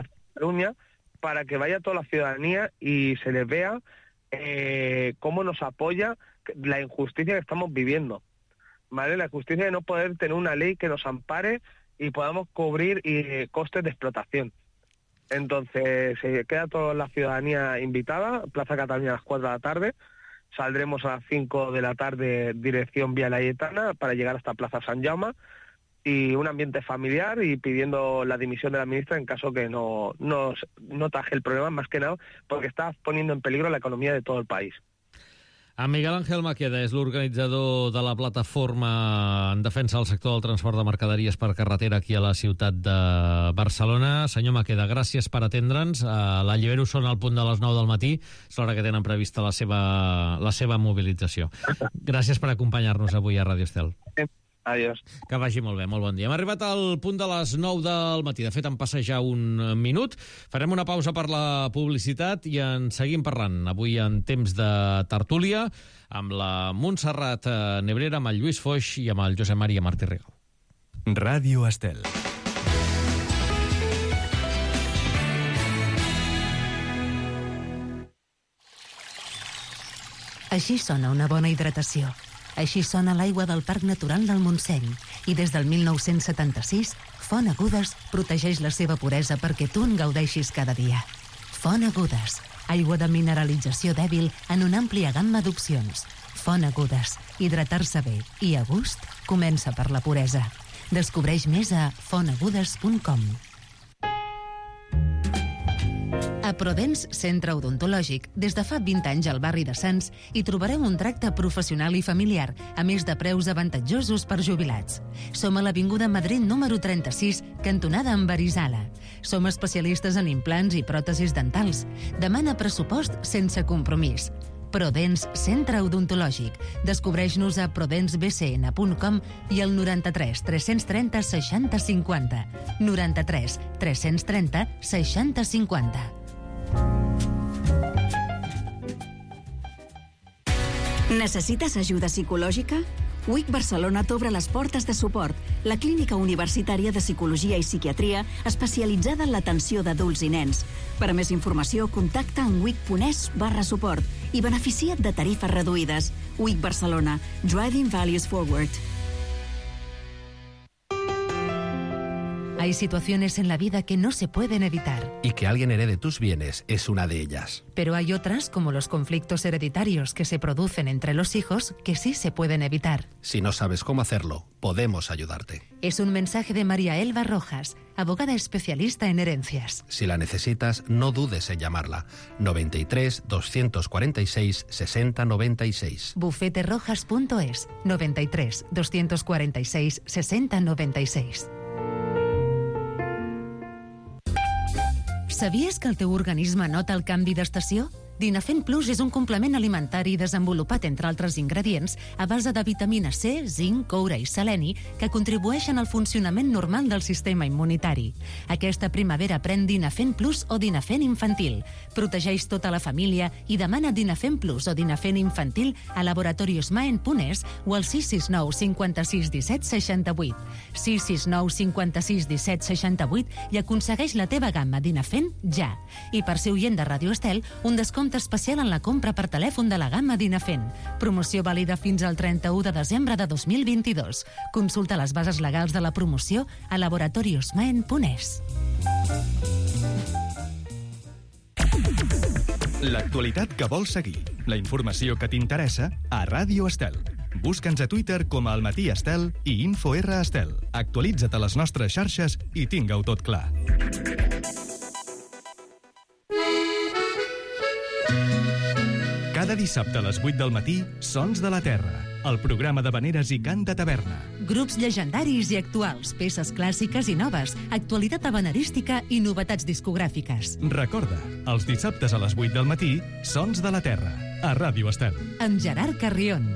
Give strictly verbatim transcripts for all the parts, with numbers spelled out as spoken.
Plaza Cataluña, para que vaya toda la ciudadanía y se les vea eh, cómo nos apoya la injusticia que estamos viviendo, ¿vale? La injusticia de no poder tener una ley que nos ampare y podamos cubrir eh, costes de explotación. Entonces, se eh, queda toda la ciudadanía invitada, Plaza Cataluña a las cuatro de la tarde, saldremos a las cinco de la tarde dirección Vía Laietana para llegar hasta Plaza San Jaume, y un ambiente familiar y pidiendo la dimisión de la ministra en caso que no, no, no taje el problema, más que nada porque está poniendo en peligro la economía de todo el país. En Miguel Ángel Maqueda és l'organitzador de la plataforma en defensa del sector del transport de mercaderies per carretera aquí a la ciutat de Barcelona. Senyor Maqueda, gràcies per atendre'ns. L'Allibero són al punt de les nou del matí, és l'hora que tenen prevista la seva, la seva mobilització. Gràcies per acompanyar-nos avui a Ràdio Estel. Adiós. Que vagi molt bé, molt bon dia. Hem arribat al punt de les nou del matí. De fet, en passa ja un minut. Farem una pausa per la publicitat i en seguim parlant. Avui en temps de tertúlia amb la Montserrat Nebrera, amb el Lluís Foix i amb el Josep Maria Martí Rigal. Ràdio Estel. Així sona una bona hidratació. Així sona l'aigua del Parc Natural del Montseny. I des del mil nou-cents setanta-sis, Font Agudes protegeix la seva puresa perquè tu en gaudeixis cada dia. Font Agudes, aigua de mineralització dèbil en una àmplia gamma d'opcions. Font Agudes, hidratar-se bé i a gust comença per la puresa. Descobreix més a font agudes punt com. A Prodens Centre Odontològic, des de fa vint anys al barri de Sants, hi trobareu un tracte professional i familiar, a més de preus avantatjosos per jubilats. Som a l'Avinguda Madrid número trenta-sis, cantonada amb Arizala. Som especialistes en implants i pròtesis dentals. Demana pressupost sense compromís. Prodens Centre Odontològic. Descobreix-nos a prodens b c n punt com i al noranta-tres tres-cents trenta seixanta cinquanta. noranta-tres tres-cents trenta seixanta cinquanta. Necessites ajuda psicològica? U I C Barcelona t'obre les portes de suport, la clínica universitària de psicologia i psiquiatria especialitzada en l'atenció d'adults i nens. Per a més informació, contacta en wic.es barra suport i beneficia't de tarifes reduïdes. U I C Barcelona, Driving Values Forward. Hay situaciones en la vida que no se pueden evitar. Y que alguien herede tus bienes es una de ellas. Pero hay otras, como los conflictos hereditarios que se producen entre los hijos, que sí se pueden evitar. Si no sabes cómo hacerlo, podemos ayudarte. Es un mensaje de María Elba Rojas, abogada especialista en herencias. Si la necesitas, no dudes en llamarla. noventa y tres, doscientos cuarenta y seis, sesenta noventa y seis. bufete rojas punto es, noventa y tres, doscientos cuarenta y seis, sesenta noventa y seis. Sabies que el teu organisme nota el canvi d'estació? Dinafen Plus és un complement alimentari desenvolupat, entre altres ingredients, a base de vitamina C, zinc, coure i seleni, que contribueixen al funcionament normal del sistema immunitari. Aquesta primavera pren Dinafen Plus o Dinafen Infantil. Protegeix tota la família i demana Dinafen Plus o Dinafen Infantil a Laboratorios Maen punt es o al sis sis nou cinquanta-sis disset seixanta-vuit. sis sis nou cinquanta-sis disset seixanta-vuit i aconsegueix la teva gamma Dinafen ja. I per ser oient de Ràdio Estel, un descompte especial en la compra per telèfon de la gamma Dinafen. Promoció vàlida fins al trenta-u de desembre de dos mil vint-i-dos. Consulta les bases legals de la promoció a laboratorios maen punt es. L'actualitat que vols seguir, la informació que t'interessa a Ràdio Estel. Busca'ns a Twitter com a El Matí Estel i InfoR Estel. Actualitza't a les nostres xarxes i tinga-ho tot clar. Cada dissabte a les vuit del matí, Sons de la Terra, el programa d'havaneres i cant de taverna. Grups llegendaris i actuals, peces clàssiques i noves, actualitat havanerística i novetats discogràfiques. Recorda, els dissabtes a les vuit del matí, Sons de la Terra, a Ràdio Estel. Amb Gerard Carrion.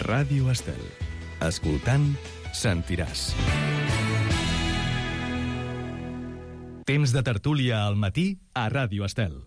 Ràdio Estel. Escoltant, sentiràs. Temps de tertúlia al matí a Ràdio Estel.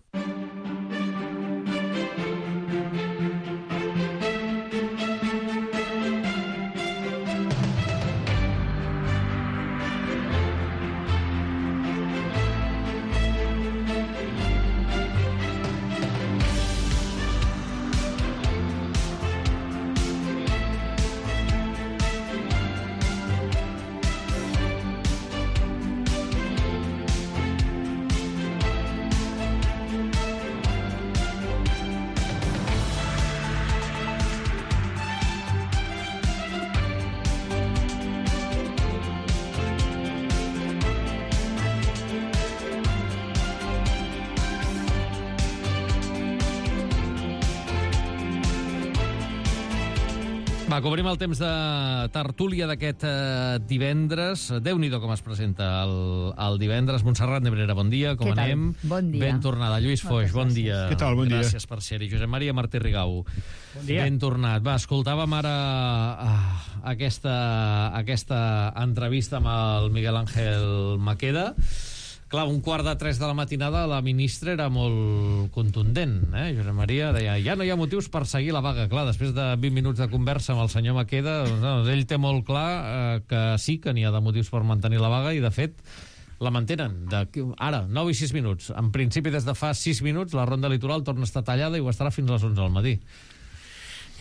Va, cobrim el temps de tertúlia d'aquest eh, divendres. Déu-n'hi-do com es presenta el, el divendres. Montserrat Nebrera, bon dia, com Què tal? anem? Bon dia. Ben tornada. Lluís Foix, bon dia. Què tal? Bon dia. Gràcies per ser-hi. Josep Maria Martí Rigau. Bon dia. Ben tornat. Va, escoltàvem ara ah, aquesta, aquesta entrevista amb el Miguel Ángel Maqueda. Clar, un quart de tres de la matinada la ministra era molt contundent, eh? Josep Maria deia, ja no hi ha motius per seguir la vaga. Clar, després de vint minuts de conversa amb el senyor Maqueda, doncs, ell té molt clar eh, que sí que n'hi ha de motius per mantenir la vaga i, de fet, la mantenen. De, ara, nou i sis minuts. En principi, des de fa sis minuts, la ronda litoral torna a estar tallada i ho estarà fins a les onze del matí.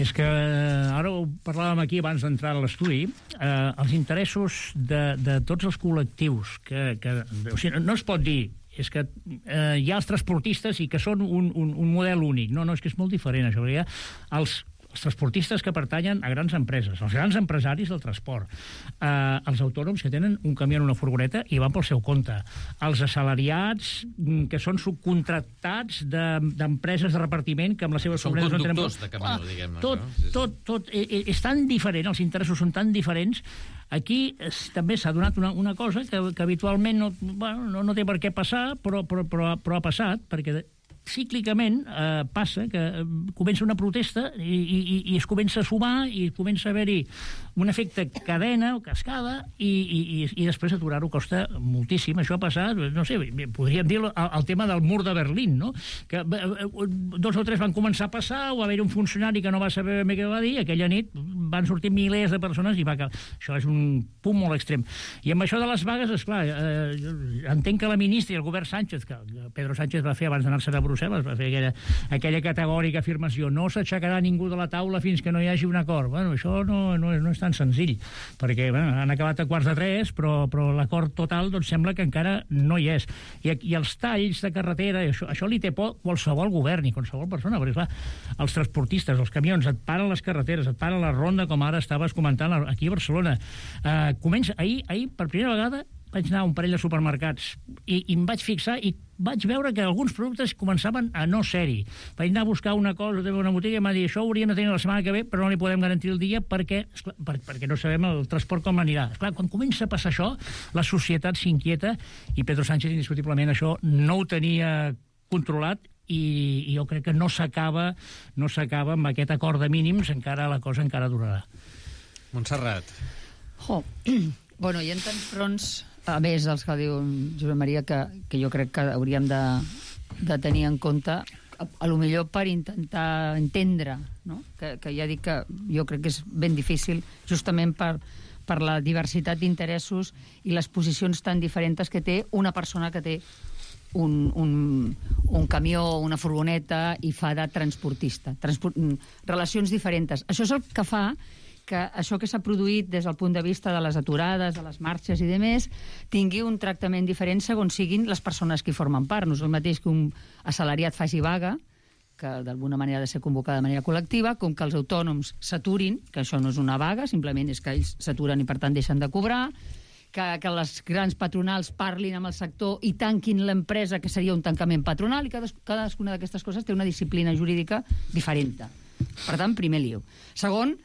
És que ara ho parlàvem aquí abans d'entrar a l'estudi, eh, els interessos de, de tots els col·lectius que, que o sigui, no es pot dir és que eh, hi ha els transportistes i que són un, un, un model únic. No, no, és que és molt diferent això. Hi ha els els transportistes que pertanyen a grans empreses, els grans empresaris del transport, eh, els autònoms que tenen un camió en una furgoneta i van pel seu compte, els assalariats que són subcontractats d'empreses de, de repartiment que amb les seves són furgonetes no tenen... conductors de camió, ah, diguem-ne. Tot, no? sí, sí. tot, tot és, és tan diferent, els interessos són tan diferents. Aquí es, també s'ha donat una, una cosa que, que habitualment no, bueno, no, no té per què passar, però, però, però, però ha passat, perquè cíclicament eh, passa que eh, comença una protesta i, i, i es comença a sumar i comença a haver-hi un efecte cadena o cascada i, i, i després aturar-ho costa moltíssim. Això ha passat, no sé, podríem dir el, el tema del mur de Berlín, no? Que eh, dos o tres van començar a passar o va haver un funcionari que no va saber ben bé què va dir, aquella nit van sortir milers de persones i va acabar. Això és un punt molt extrem. I amb això de les vagues, esclar, eh, entenc que la ministra i el govern Sánchez, que Pedro Sánchez va fer abans d'anar-se'n a Brussel·les, va fer aquella, aquella categòrica afirmació, no s'aixecarà ningú de la taula fins que no hi hagi un acord. Bueno, això no, no, no és tan senzill, perquè bueno, han acabat a quarts de tres, però, però l'acord total doncs, sembla que encara no hi és. I, i els talls de carretera, això, això li té por qualsevol govern i qualsevol persona, perquè clar, els transportistes, els camions, et paren les carreteres, et paren la ronda, com ara estaves comentant aquí a Barcelona. Eh, comença, ahir, ahir, per primera vegada, vaig anar a un parell de supermercats i, i em vaig fixar i vaig veure que alguns productes començaven a no ser-hi. Vaig anar a buscar una cosa de una botiga i m'ha dit això ho hauríem de tenir la setmana que ve, però no li podem garantir el dia perquè, esclar, per, perquè no sabem el transport com anirà. Esclar, quan comença a passar això, la societat s'inquieta i Pedro Sánchez indiscutiblement això no ho tenia controlat i, i jo crec que no s'acaba no s'acaba amb aquest acord de mínims, encara la cosa encara durarà. Montserrat. Jo, bueno, hi ha tants fronts, a més dels que diu Josep Maria, que, que jo crec que hauríem de, de tenir en compte, a, a lo millor per intentar entendre, no? que, que ja dic que jo crec que és ben difícil, justament per, per la diversitat d'interessos i les posicions tan diferents que té una persona que té un, un, un camió, una furgoneta i fa de transportista. Transport, relacions diferents. Això és el que fa que això que s'ha produït des del punt de vista de les aturades, de les marxes i demés, tingui un tractament diferent segons siguin les persones que hi formen part. No és el mateix que un assalariat faci vaga, que d'alguna manera ha de ser convocada de manera col·lectiva, com que els autònoms s'aturin, que això no és una vaga, simplement és que ells s'aturen i per tant deixen de cobrar, que, que les grans patronals parlin amb el sector i tanquin l'empresa, que seria un tancament patronal, i cadas, cadascuna d'aquestes coses té una disciplina jurídica diferent. Per tant, primer lío. Segon,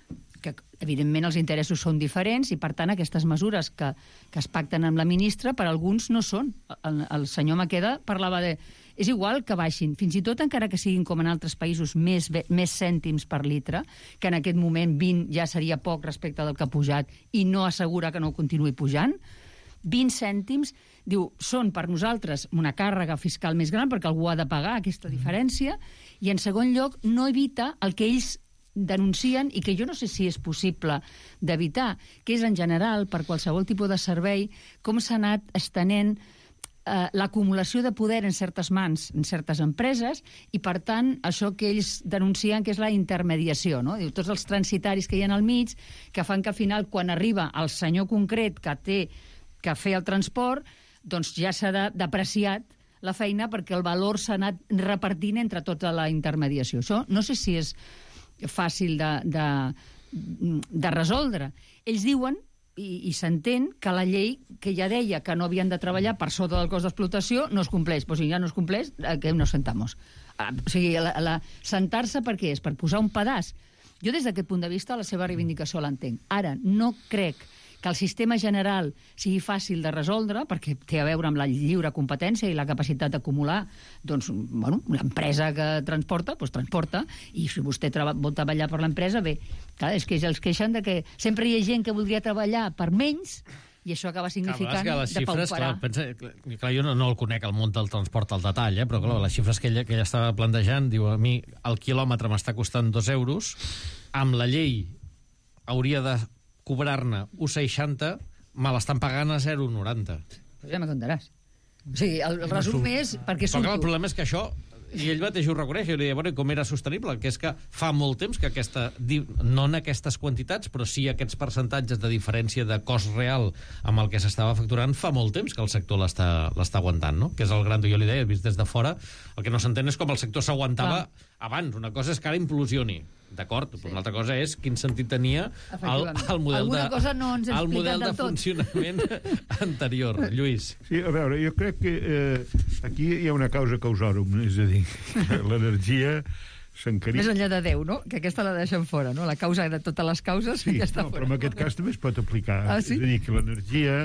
que evidentment els interessos són diferents i per tant aquestes mesures que, que es pacten amb la ministra per alguns no són. El, el senyor Maqueda parlava de és igual que baixin, fins i tot encara que siguin com en altres països més, més cèntims per litre, que en aquest moment vint ja seria poc respecte del que ha pujat i no assegura que no continuï pujant, vint cèntims, diu, són per nosaltres una càrrega fiscal més gran perquè algú ha de pagar aquesta diferència i en segon lloc no evita el que ells denuncien i que jo no sé si és possible d'evitar, que és en general per qualsevol tipus de servei com s'ha anat estenent eh, l'acumulació de poder en certes mans, en certes empreses i per tant això que ells denuncien que és la intermediació, no? Diu, tots els transitaris que hi ha al mig que fan que al final quan arriba el senyor concret que té que fer el transport doncs ja s'ha depreciat la feina perquè el valor s'ha anat repartint entre tota la intermediació. Això no sé si és fàcil de, de, de resoldre. Ells diuen, i, i s'entén, que la llei que ja deia que no havien de treballar per sota del cost d'explotació no es compleix. Pues si ja no es compleix, que nos sentamos. O sigui, la, la, sentar-se per què és? Per posar un pedaç. Jo, des d'aquest punt de vista, la seva reivindicació l'entenc. Ara, no crec que el sistema general sigui fàcil de resoldre, perquè té a veure amb la lliure competència i la capacitat d'acumular, doncs, bueno, l'empresa que transporta, doncs transporta, i si vostè treba, vol treballar per l'empresa, bé, clar, és que els queixen de que sempre hi ha gent que voldria treballar per menys, i això acaba significant clar, de pauperar. Clar, pensa, clar, jo no, no el conec, el món del transport al detall, eh, però clar, les xifres que ella, que ella estava plantejant, diu, a mi el quilòmetre m'està costant dos euros, amb la llei hauria de cobrar-ne un coma seixanta, me l'estan pagant a zero coma noranta. Pues ja me contaràs. O sigui, el resum és perquè surto. Però clar, el problema és que això, i ell mateix ho reconeix, i li deia, bueno, com era sostenible? Que és que fa molt temps que aquesta, no en aquestes quantitats, però sí aquests percentatges de diferència de cost real amb el que s'estava facturant, fa molt temps que el sector l'està l'està aguantant, no? Que és el gran, jo li deia, vist des de fora, el que no s'entén és com el sector s'aguantava abans. Una cosa és que ara implosioni, d'acord? Sí. Una altra cosa és quin sentit tenia el, el model, Alguna de, cosa no ens el model de del tot. funcionament anterior. Lluís. Sí, a veure, jo crec que eh, aquí hi ha una causa causorum, és a dir, que l'energia s'encarit... Més enllà de Déu, no? Que aquesta la deixen fora, no? La causa de totes les causes, sí, ja està no, fora. però en aquest cas també es pot aplicar. Ah, sí? És a dir, que l'energia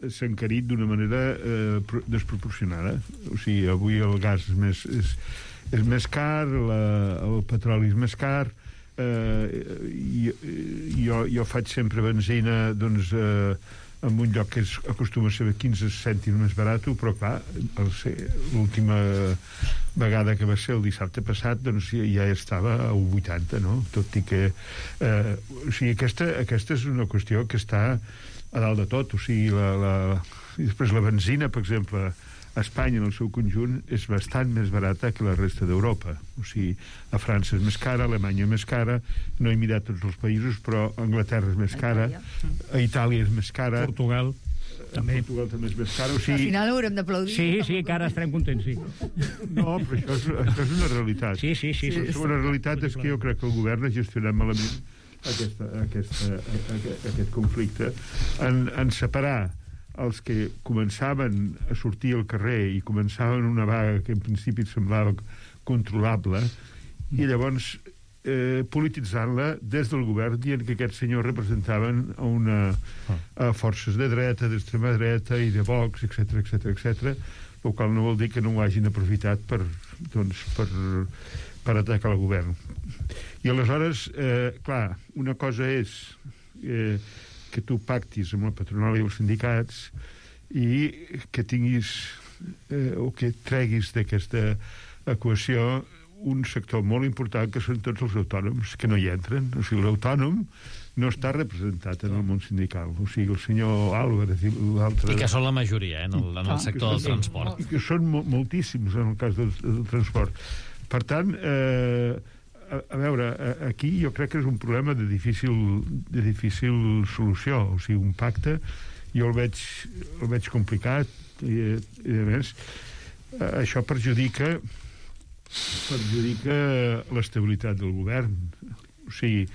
s'ha encarit d'una manera eh, desproporcionada. O sigui, avui el gas és més, és, és més car, la, el petroli és més car, eh, i, jo, jo faig sempre benzina, doncs, eh, en un lloc que és, acostuma a ser quinze cèntims més barat, però clar, l'última vegada que va ser el dissabte passat, doncs ja estava a un vuitanta, no? Tot i que eh, o sigui, aquesta, aquesta és una qüestió que està a dalt de tot, o sigui, la, la, i després la benzina, per exemple, a Espanya, en el seu conjunt, és bastant més barata que la resta d'Europa. O sigui, a França és més cara, a Alemanya és més cara, no he mirat tots els països, però a Anglaterra és més cara, a Itàlia és més cara... Portugal també. Portugal també és més cara. O sigui... Al final haurem d'aplaudir. Sí, sí, que ara estarem contents, sí. No, però això és, això és una realitat. Sí, sí, sí. sí. La segona realitat és que jo crec que el govern ha gestionat malament aquesta, aquesta, aquest, aquest conflicte en, en separar els que començaven a sortir al carrer i començaven una vaga que en principi semblava controlable, i llavors eh, polititzant-la des del govern, dient que aquests senyors representaven a una a forces de dreta, d'extrema dreta i de Vox, etcètera, etcètera, etcètera, el qual no vol dir que no ho hagin aprofitat per, doncs, per, per atacar el govern. I aleshores, eh, clar, una cosa és eh, que tu pactis amb la patronal i els sindicats i que tinguis eh, o que treguis d'aquesta equació un sector molt important que són tots els autònoms que no hi entren. O sigui, l'autònom no està representat en el món sindical. O sigui, el senyor Álvarez i l'altre... I que són la majoria, eh, en el, en el sector del transport. I que són mo moltíssims en el cas del, del transport. Per tant, eh, a, a veure, aquí jo crec que és un problema de difícil, de difícil solució. O sigui, un pacte, jo el veig, el veig complicat i, i a més, això perjudica perjudica l'estabilitat del govern. O sigui,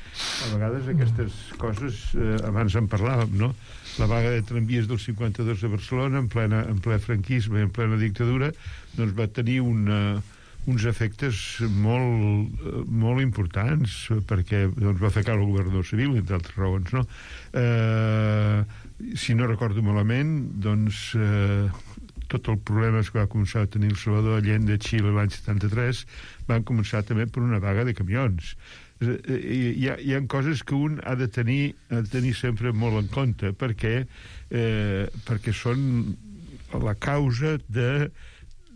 a vegades aquestes coses, eh, abans en parlàvem, no? La vaga de tramvies del cinquanta-dos a Barcelona, en, plena, en ple franquisme, en plena dictadura, doncs va tenir una, uns efectes molt, molt importants, perquè doncs, va fer caure el governador civil, entre altres raons, no? Eh, si no recordo malament, doncs... Eh, tots els problemes que va començar a tenir el Salvador Allende de Xile l'any setanta-tres van començar també per una vaga de camions. Hi ha, hi ha coses que un ha de tenir, ha de tenir sempre molt en compte, perquè, eh, perquè són la causa de...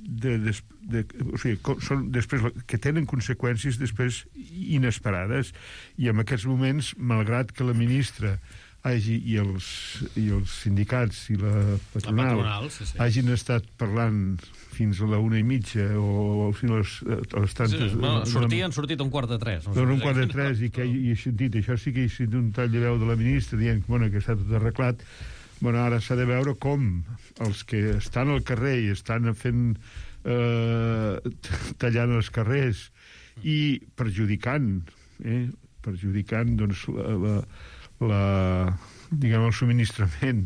de, de, de o sigui, són després, que tenen conseqüències després inesperades, i en aquests moments, malgrat que la ministra hagi, i, els, i els sindicats i la patronal, la patronal sí, sí. hagin estat parlant fins a la una i mitja o, o fins a les, a les tantes... Sí, bueno, sortir, han sortit un quart de tres. No un quart de tres, i que hi he sentit, això sí que hi he sentit un tall de veu de la ministra dient bueno, que està tot arreglat. Bueno, ara s'ha de veure com els que estan al carrer i estan fent eh, tallant els carrers i perjudicant eh, perjudicant doncs la, la la, diguem, el subministrament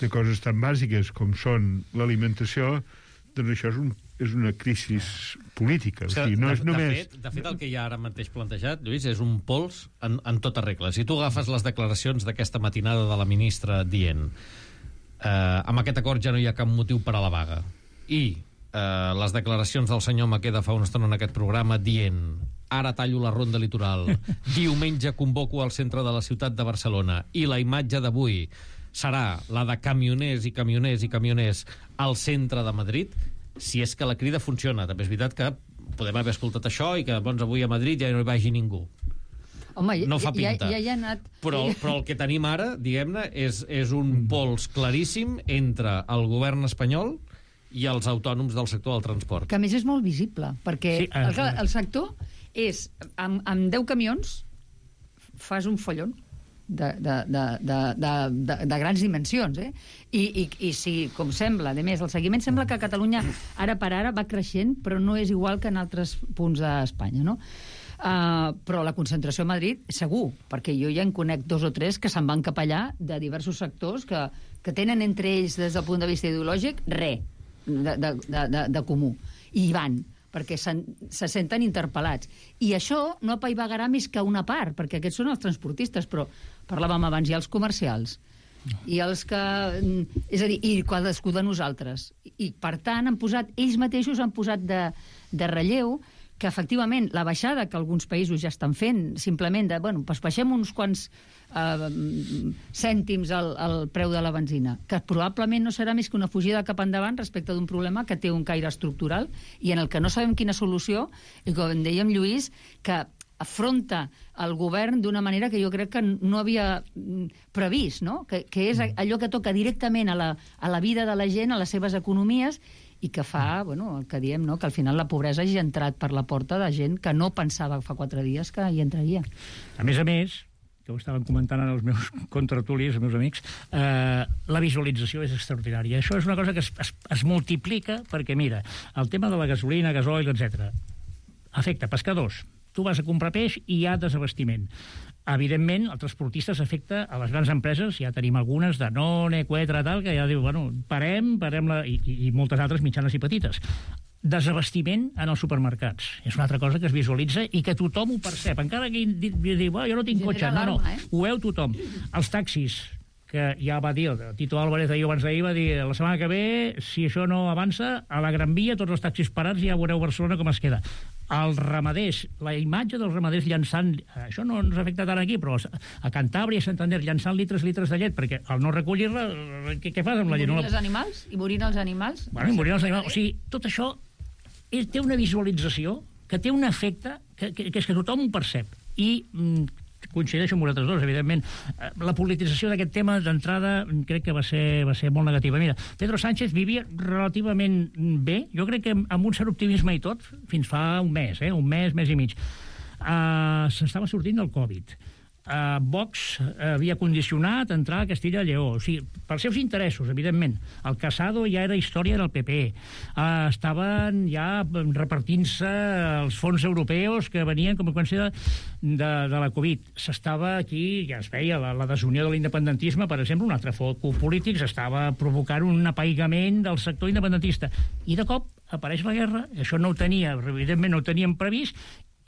de coses tan bàsiques com són l'alimentació, doncs això és un és una crisi política. O sigui, no de, és només... de, fet, de fet, el que hi ha ara mateix plantejat, Lluís, és un pols en, en tota regla. Si tu agafes les declaracions d'aquesta matinada de la ministra dient eh, amb aquest acord ja no hi ha cap motiu per a la vaga, i eh, les declaracions del senyor Maqueda fa una estona en aquest programa dient ara tallo la ronda litoral, diumenge convoco al centre de la ciutat de Barcelona, i la imatge d'avui serà la de camioners i camioners i camioners al centre de Madrid, si és que la crida funciona. També és veritat que podem haver escoltat això i que doncs, avui a Madrid ja no hi vagi ningú. Home, no fa pinta. Ja, ja, ja ha anat... Però, però el que tenim ara, diguem-ne, és, és un pols claríssim entre el govern espanyol i els autònoms del sector del transport. Que a més és molt visible, perquè sí, uh, el, el sector és, amb, amb deu camions fas un follon de, de, de, de, de, de, de grans dimensions, eh? I, i, i si, com sembla, a més, el seguiment sembla que a Catalunya ara per ara va creixent, però no és igual que en altres punts d'Espanya, no? Uh, però la concentració a Madrid, segur, perquè jo ja en conec dos o tres que se'n van cap allà de diversos sectors que, que tenen entre ells, des del punt de vista ideològic, res de, de, de, de, de comú. I hi van, perquè se, se senten interpel·lats. I això no apaivagarà més que una part, perquè aquests són els transportistes, però parlàvem abans, hi ha els comercials, i els que... És a dir, i cadascú de nosaltres. I, per tant, han posat, ells mateixos han posat de, de relleu que, efectivament, la baixada que alguns països ja estan fent, simplement de, bueno, pues baixem uns quants eh, cèntims al, al preu de la benzina, que probablement no serà més que una fugida cap endavant respecte d'un problema que té un caire estructural i en el que no sabem quina solució, i com dèiem, Lluís, que afronta el govern d'una manera que jo crec que no havia previst, no? Que, que és allò que toca directament a la, a la vida de la gent, a les seves economies, i que fa, bueno, el que diem, no? Que al final la pobresa hagi entrat per la porta de gent que no pensava fa quatre dies que hi entraria. A més a més, que ho estaven comentant els meus contratulis, els meus amics, eh, la visualització és extraordinària. Això és una cosa que es, es, es multiplica perquè, mira, el tema de la gasolina, gasoil, etcètera, afecta pescadors. Tu vas a comprar peix i hi ha desabastiment. Evidentment, el transportista s'afecta a les grans empreses, ja tenim algunes, Danone, Quetra, tal, que ja diu, bueno, parem, parem la... I, i moltes altres mitjanes i petites. Desabastiment en els supermercats. És una altra cosa que es visualitza i que tothom ho percep. Encara que diu, oh, jo no tinc cotxe. No, no, ho veu tothom. Els taxis, que ja va dir, el Tito Álvarez ahir abans d'ahir va dir, la setmana que ve, si això no avança, a la Gran Via, tots els taxis parats, ja veureu Barcelona com es queda. Els ramaders, la imatge dels ramaders llançant, això no ens afecta tant aquí, però a Cantàbria i Santander llançant litres litres de llet, perquè al no recollir-la, què, què fas amb la llet? I morint els animals? I morint els animals? Bueno, i morint els animals. O sigui, tot això és, té una visualització que té un efecte que, que, que és que tothom ho percep. I mm, coincideixo amb vosaltres dos, evidentment. La politització d'aquest tema, d'entrada, crec que va ser, va ser molt negativa. Mira, Pedro Sánchez vivia relativament bé, jo crec que amb un cert optimisme i tot, fins fa un mes, eh? un mes, mes i mig. Uh, S'estava sortint del Covid. Uh, Vox havia condicionat entrar a Castilla i Lleó, o sigui, pels seus interessos, evidentment. El Casado ja era història del P P. Uh, estaven ja repartint-se els fons europeus que venien com a conseqüència de, de, de la Covid. S'estava aquí, ja es veia, la, la desunió de l'independentisme, per exemple, un altre foc polític, s'estava provocant un apaigament del sector independentista. I de cop apareix la guerra, això no ho tenia, evidentment no ho teníem previst,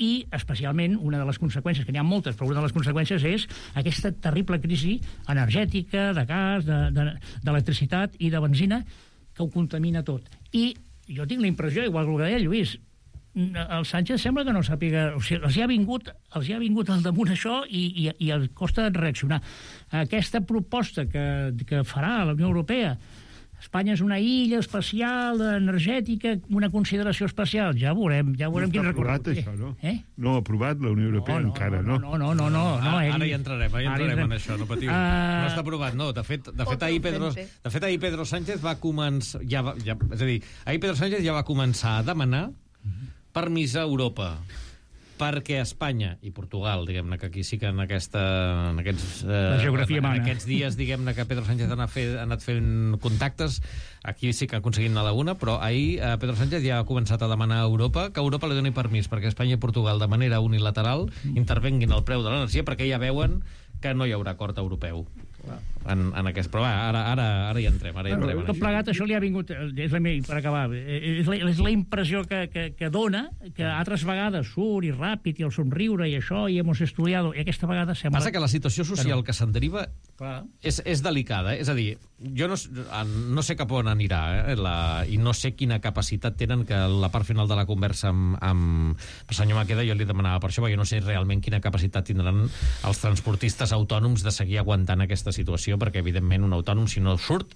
i especialment una de les conseqüències, que n'hi ha moltes, però una de les conseqüències és aquesta terrible crisi energètica, de gas, d'electricitat de, i de benzina, que ho contamina tot. I jo tinc la impressió, igual que ho deia Lluís, el Sánchez sembla que no sàpiga, o sigui, els hi ha vingut, els hi ha vingut al damunt això i, i, i els costa reaccionar. Aquesta proposta que, que farà la Unió Europea, Espanya és una illa especial, energètica, una consideració especial. Ja veurem, ja veurem no quin recorregut. No està aprovat, això, no? Eh? No ha aprovat la Unió Europea no, no, encara, no? No, no, no. no, no ara, ara hi entrarem, ara hi entrarem en això, no patiu. Uh... No està aprovat, no. De fet, de fet, ahir Pedro, de fet, ahir Pedro Sánchez va començar... Ja, va, ja, és a dir, ahir Pedro Sánchez ja va començar a demanar permís a Europa perquè Espanya i Portugal, diguem-ne, que aquí sí que en, aquesta, en, aquests, eh, geografia en, en aquests dies, diguem-ne, que Pedro Sánchez ha anat, fet, ha anat fent contactes, aquí sí que ha aconseguit anar a la una, però ahir eh, Pedro Sánchez ja ha començat a demanar a Europa que Europa li doni permís perquè Espanya i Portugal, de manera unilateral, intervenguin el preu de l'energia perquè ja veuen que no hi haurà acord europeu. en, en aquest... Però va, ara, ara, ara hi entrem, ara hi entrem. Tot plegat, això li ha vingut, és la meva, per acabar, és la, és la impressió que, que, que dona, que altres vegades surt i ràpid i el somriure i això, i hemos estudiado, i aquesta vegada sembla... Passa que la situació social que se'n deriva Clar. és, és delicada, eh? És a dir, jo no, no sé cap on anirà, eh? la, i no sé quina capacitat tenen, que la part final de la conversa amb, amb el senyor Maqueda jo li demanava per això, perquè jo no sé realment quina capacitat tindran els transportistes autònoms de seguir aguantant aquesta situació, perquè evidentment un autònom, si no surt,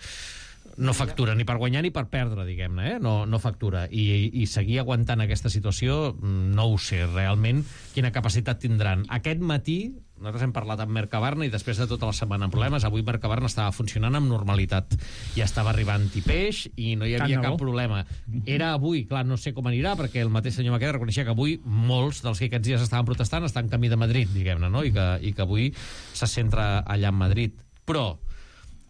no factura ni per guanyar ni per perdre, diguem-ne, eh? no, no factura. I, I seguir aguantant aquesta situació, no ho sé realment quina capacitat tindran. Aquest matí, nosaltres hem parlat amb Mercabarna i després de tota la setmana amb problemes, avui Mercabarna estava funcionant amb normalitat. Ja estava arribant i peix i no hi havia cap problema. Era avui, clar, no sé com anirà, perquè el mateix senyor Maqueda reconeixia que avui molts dels que aquests dies estaven protestant estan en camí de Madrid, diguem-ne, no? I que, i que avui se centra allà en Madrid. Però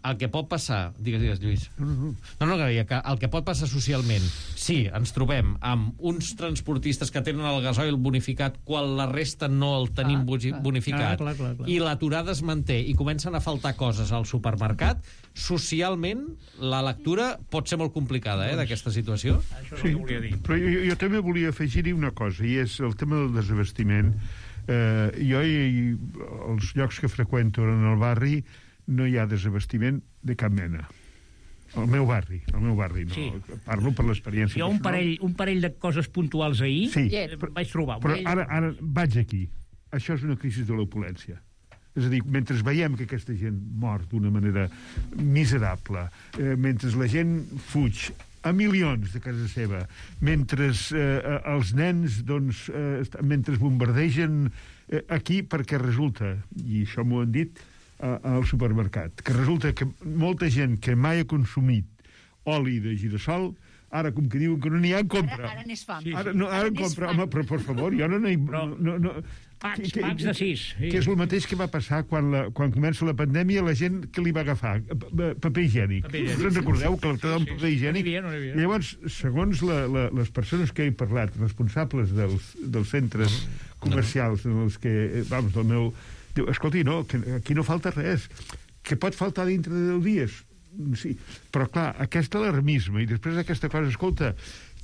el que pot passar... Digues, digues, Lluís. No, no, que el que pot passar socialment, sí, ens trobem amb uns transportistes que tenen el gasoil bonificat quan la resta no el tenim ah, bonificat, ah, clar, clar, clar. I l'aturada es manté i comencen a faltar coses al supermercat, socialment la lectura pot ser molt complicada, eh, d'aquesta situació. Això sí, no volia dir. Però jo, jo també volia afegir-hi una cosa, i és el tema del desabastiment. Eh, jo, i, els llocs que freqüento en el barri, no hi ha desabastiment de cap mena. Al meu barri, al meu barri, no. Sí. Parlo per l'experiència. Hi ha un parell, un parell de coses puntuals ahir, sí, però, vaig trobar. Però ara, ara vaig aquí. Això és una crisi de l'opulència. És a dir, mentre veiem que aquesta gent mor d'una manera miserable, eh, mentre la gent fuig a milions de casa seva, mentre eh, els nens, doncs, eh, mentre bombardegen eh, aquí, perquè resulta, i això m'ho han dit, al supermercat, que resulta que molta gent que mai ha consumit oli de girassol, ara, com que diuen que no n'hi ha, en compra. Ara, ara n'és fam. Ara, no, ara, ara en compra. Home, però, per favor, jo no n'hi... Però... No, no, Pacs, que, pacs de sis. Sí. Que és el mateix que va passar quan, la, quan comença la pandèmia, la gent que li va agafar paper higiènic. Paper higiènic. Us en recordeu que l'altre sí, paper higiènic? No havia, no havia. I llavors, segons la, la, les persones que he parlat, responsables dels, dels centres comercials en els que, vamos, del meu... Diu, escolti, no, que aquí no falta res. Que pot faltar dintre de deu dies. Sí, però clar, aquest alarmisme i després aquesta cosa, escolta,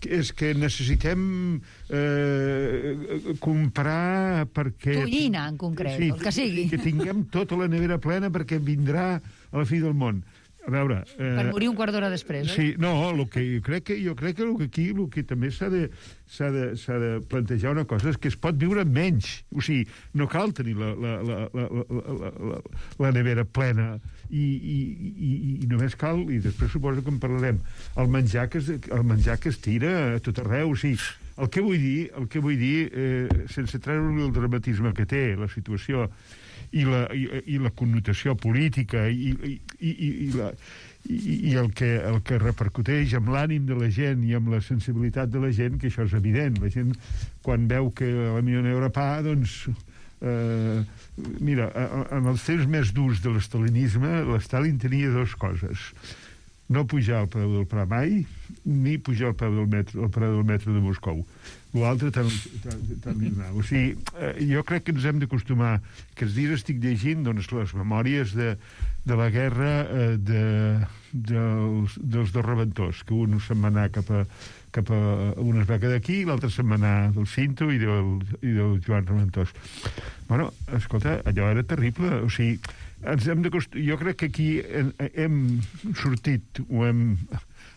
és que necessitem eh, comprar perquè... Tonyina, en concret, sí, el que sigui. Que tinguem tota la nevera plena perquè vindrà a la fi del món. A veure... Eh, per morir un quart d'hora després, oi? Sí, no, el que jo crec que, jo crec que aquí el que també s'ha de, s'ha de, s'ha de plantejar una cosa és que es pot viure amb menys. O sigui, no cal tenir la, la, la, la, la, la, la nevera plena i, i, i, i només cal, i després suposo que en parlarem, el menjar que es, el menjar que es tira a tot arreu. O sigui, el que vull dir, el que vull dir eh, sense treure el dramatisme que té la situació i la, i, i la connotació política i, i, i, i, la, i, i el, que, el que repercuteix amb l'ànim de la gent i amb la sensibilitat de la gent, que això és evident. La gent, quan veu que la millor n'hi haurà pa, doncs... Eh, mira, en els temps més durs de l'estalinisme, l'Stalin tenia dues coses. No pujar el preu del pa mai, ni pujar el preu del metro, el preu del metro de Moscou. L'altre tant, tant, tant li donava. O sigui, eh, jo crec que ens hem d'acostumar, que els dies estic llegint doncs, les memòries de, de la guerra eh, de, dels, dels dos rebentors, que un se'n va anar cap a, cap a una beca d'aquí i l'altre se'n va anar del Cinto i del, i del Joan Reventós. Bueno, escolta, allò era terrible. O sigui, ens hem d'acostumar... Jo crec que aquí hem, hem sortit o hem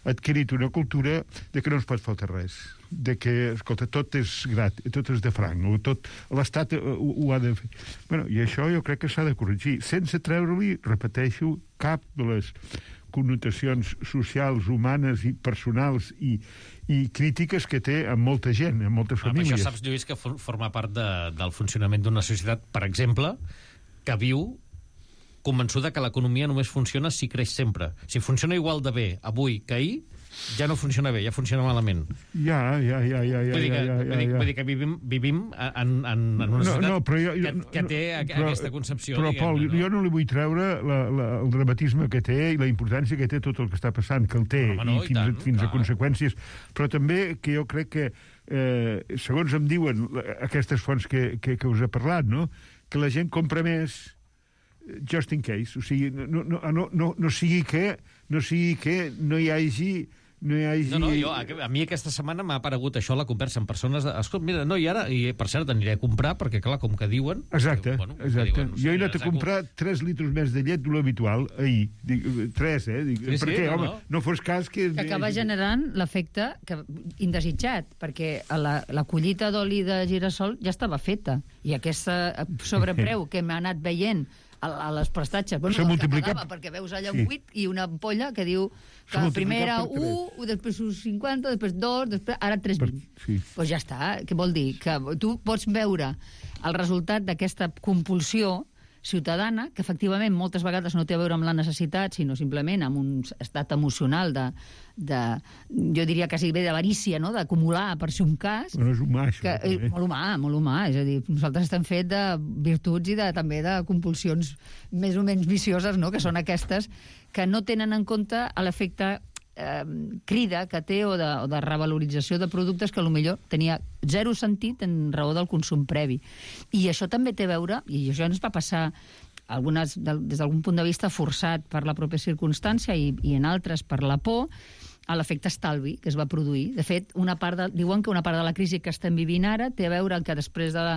adquirit una cultura de que no ens pot faltar res, de que, escolta, tot és grat, tot és de franc, o tot l'Estat ho, ho ha de fer. Bueno, i això jo crec que s'ha de corregir, sense treure-li, repeteixo, cap de les connotacions socials, humanes i personals i, i crítiques que té amb molta gent, amb moltes famílies. Ah, això saps, Lluís, que forma part de, del funcionament d'una societat, per exemple, que viu convençuda que l'economia només funciona si creix sempre. Si funciona igual de bé avui que ahir, ja no funciona bé, ja funciona malament. Ja, ja, ja, ja, ja, vull dir que, ja, ja, vull dir, ja. vull dir que vivim, vivim en, en, en una societat no, no, però jo, jo, que, que té però, aquesta concepció. Però, Pol, no? Jo no li vull treure la, la, el dramatisme que té i la importància que té tot el que està passant, que el té, no, no, i fins, tant, a, fins a conseqüències. Però també que jo crec que, eh, segons em diuen aquestes fonts que, que, que us he parlat, no? Que la gent compra més just in case, o sigui, no, no, no, no, no sigui que no sigui que no hi hagi no hi hagi... No, no, jo, a, a mi aquesta setmana m'ha aparegut això, la conversa amb persones... De, escolta, mira, no, i ara, i per cert, aniré a comprar, perquè, clar, com que diuen... Exacte, que, bueno, exacte. Que diuen, no sé, jo he anat a comprar tres litres més de llet de l'habitual ahir. Dic, tres, eh? Dic, sí, perquè, sí, no, home, no. no fos cas que... Que acaba generant l'efecte que, indesitjat, perquè la, la collita d'oli de girassol ja estava feta, i aquest sobrepreu que m'ha anat veient a, a les prestatges, bueno, s'ha multiplicat, pagava, perquè veus allà un sí. buit i una ampolla que diu que primer era un, després un cinquanta, després dos, després, ara tres vint. Sí. Pues ja està. Què vol dir? Que tu pots veure el resultat d'aquesta compulsió ciutadana, que efectivament moltes vegades no té a veure amb la necessitat, sinó simplement amb un estat emocional de, de jo diria quasi bé d'avarícia, no? D'acumular per si un cas. Bueno, és humà, això. Que, eh, molt humà, molt humà. És a dir, nosaltres estem fet de virtuts i de, també de compulsions més o menys vicioses, no? Que són aquestes que no tenen en compte l'efecte eh, crida que té o de, o de revalorització de productes que potser tenia zero sentit en raó del consum previ. I això també té a veure, i això ens va passar algunes, des d'algun punt de vista forçat per la pròpia circumstància i, i en altres per la por, a l'efecte estalvi que es va produir. De fet, una part de, diuen que una part de la crisi que estem vivint ara té a veure que després de la,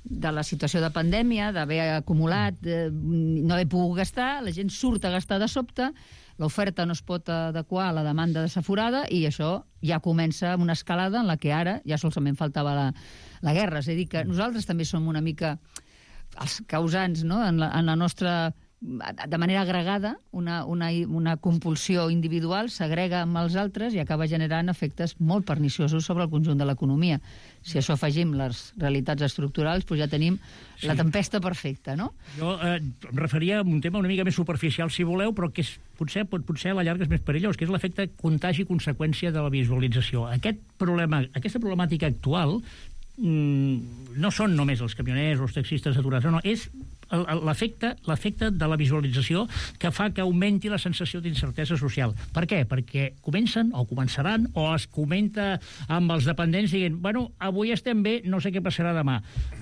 de la situació de pandèmia, d'haver acumulat, eh, no haver pogut gastar, la gent surt a gastar de sobte, l'oferta no es pot adequar a la demanda desaforada i això ja comença una escalada en la que ara ja solament faltava la, la guerra. És a dir, que nosaltres també som una mica els causants, no? en, la, en la nostra... de manera agregada, una, una, una compulsió individual s'agrega amb els altres i acaba generant efectes molt perniciosos sobre el conjunt de l'economia. Si a això afegim les realitats estructurals, doncs ja tenim sí. la tempesta perfecta, no? Jo eh, em referia a un tema una mica més superficial, si voleu, però que és, potser, pot, potser a la llarga és més perillós, que és l'efecte contagi i conseqüència de la visualització. Aquest problema, aquesta problemàtica actual mmm, no són només els camioners o els taxistes aturats, no, no, és l'efecte l'efecte de la visualització que fa que augmenti la sensació d'incertesa social. Per què? Perquè comencen o començaran o es comenta amb els dependents dient, bueno, avui estem bé, no sé què passarà demà.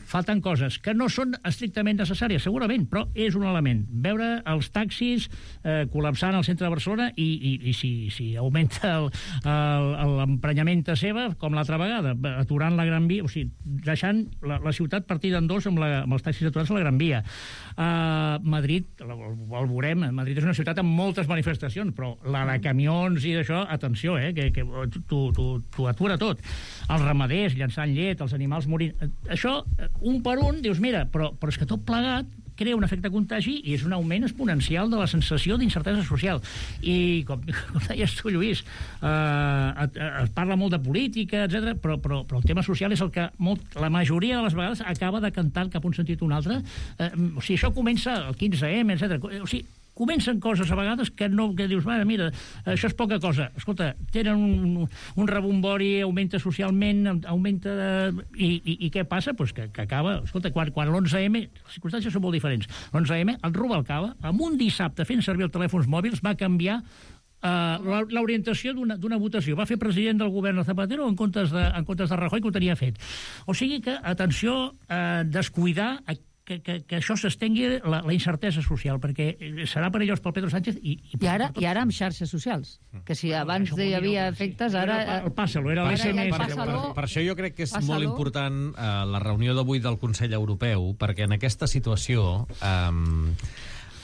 Falten coses que no són estrictament necessàries, segurament, però és un element. Veure els taxis eh, col·lapsant al centre de Barcelona i, i, i si, si augmenta l'emprenyament a seva, com l'altra vegada, aturant la Gran Via, o sigui, deixant la, la ciutat partida en dos amb, la, amb els taxis aturats a la Gran Via. Uh, Madrid, el, el veurem, Madrid és una ciutat amb moltes manifestacions, però la de camions i d'això, atenció, eh, que, que t'ho atura tot. Els ramaders llançant llet, els animals morint... Això, un per un, dius, mira, però, però és que tot plegat crea un efecte contagi i és un augment exponencial de la sensació d'incertesa social. I, com, com deies tu, Lluís, eh, es parla molt de política, etcètera, però, però, però el tema social és el que molt, la majoria de les vegades acaba decantant cap un sentit o un altre. Eh, o sigui, això comença el quinze eme, etcètera. O sigui, comencen coses a vegades que no, que dius, mare, mira, això és poca cosa. Escolta, tenen un, un rebombori, augmenta socialment, augmenta... De, i, i, I què passa? Pues que, que acaba... Escolta, quan, quan l'onze eme... Les circumstàncies són molt diferents. L'onze eme, el Rubalcaba, amb un dissabte fent servir els telèfons mòbils, va canviar uh, l'orientació d'una votació. Va fer president del govern de Zapatero en comptes de, en comptes de Rajoy, que ho tenia fet. O sigui que, atenció, uh, descuidar... Que, que, que això s'estengui la, la incertesa social, perquè serà perillós pel Pedro Sánchez i, i, I, ara, i ara amb xarxes socials, que si abans no, hi havia no, efectes, ara... El Pàssalo, era l'S M S. Per, per, per això jo crec que és Pàssalo. Molt important eh, la reunió d'avui del Consell Europeu, perquè en aquesta situació eh,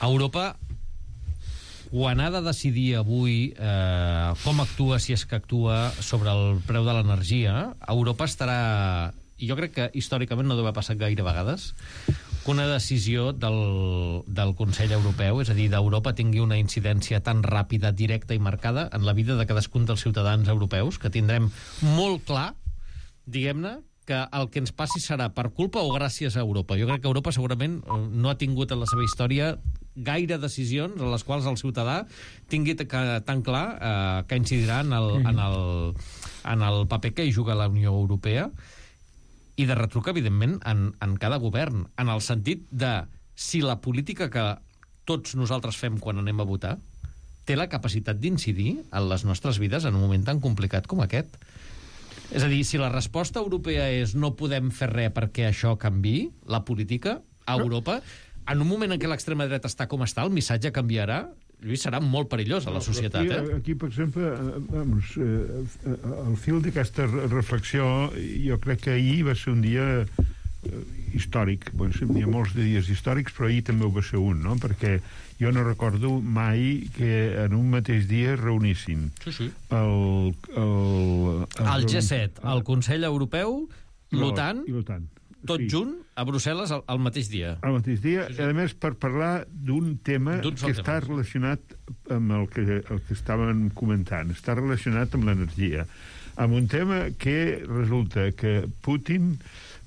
Europa, quan ha de decidir avui eh, com actua, si és que actua, sobre el preu de l'energia, Europa estarà... I jo crec que històricament no deu haver passat gaire vegades que una decisió del, del Consell Europeu, és a dir, d'Europa, tingui una incidència tan ràpida, directa i marcada en la vida de cadascun dels ciutadans europeus, que tindrem molt clar, diguem-ne, que el que ens passi serà per culpa o gràcies a Europa. Jo crec que Europa segurament no ha tingut en la seva història gaire decisions en les quals el ciutadà tingui tan clar eh, que incidirà en el, en, el, en el paper que hi juga la Unió Europea, i de retruc, evidentment, en, en cada govern, en el sentit de si la política que tots nosaltres fem quan anem a votar té la capacitat d'incidir en les nostres vides en un moment tan complicat com aquest. És a dir, si la resposta europea és no podem fer res perquè això canviï, la política a Europa, en un moment en què l'extrema dreta està com està, el missatge canviarà? Lluís, serà molt perillós a la societat, aquí, eh? Aquí, per exemple, vamos, eh, el fil d'aquesta reflexió, jo crec que ahir va ser un dia històric. Bueno, hi ha molts de dies històrics, però ahir també ho va ser un, no? Perquè jo no recordo mai que en un mateix dia es reunissin sí, sí. el... El, el, el G set, el Consell Europeu, l'OTAN, tot sí. junt a Brussel·les al, al mateix dia. Al mateix dia, sí, sí. A més per parlar d'un tema que tema. està relacionat amb el que, el que estàvem comentant, està relacionat amb l'energia, amb un tema que resulta que Putin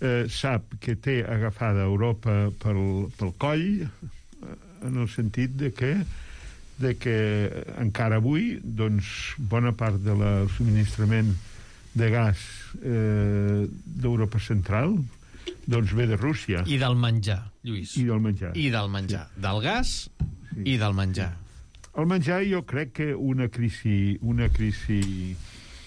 eh, sap que té agafada Europa pel, pel coll, en el sentit de que de que encara avui doncs, bona part del subministrament de gas eh, d'Europa Central doncs ve de Rússia. I del menjar, Lluís. I del menjar. I del menjar. Sí. Del gas sí. I del menjar. El menjar jo crec que una crisi, una crisi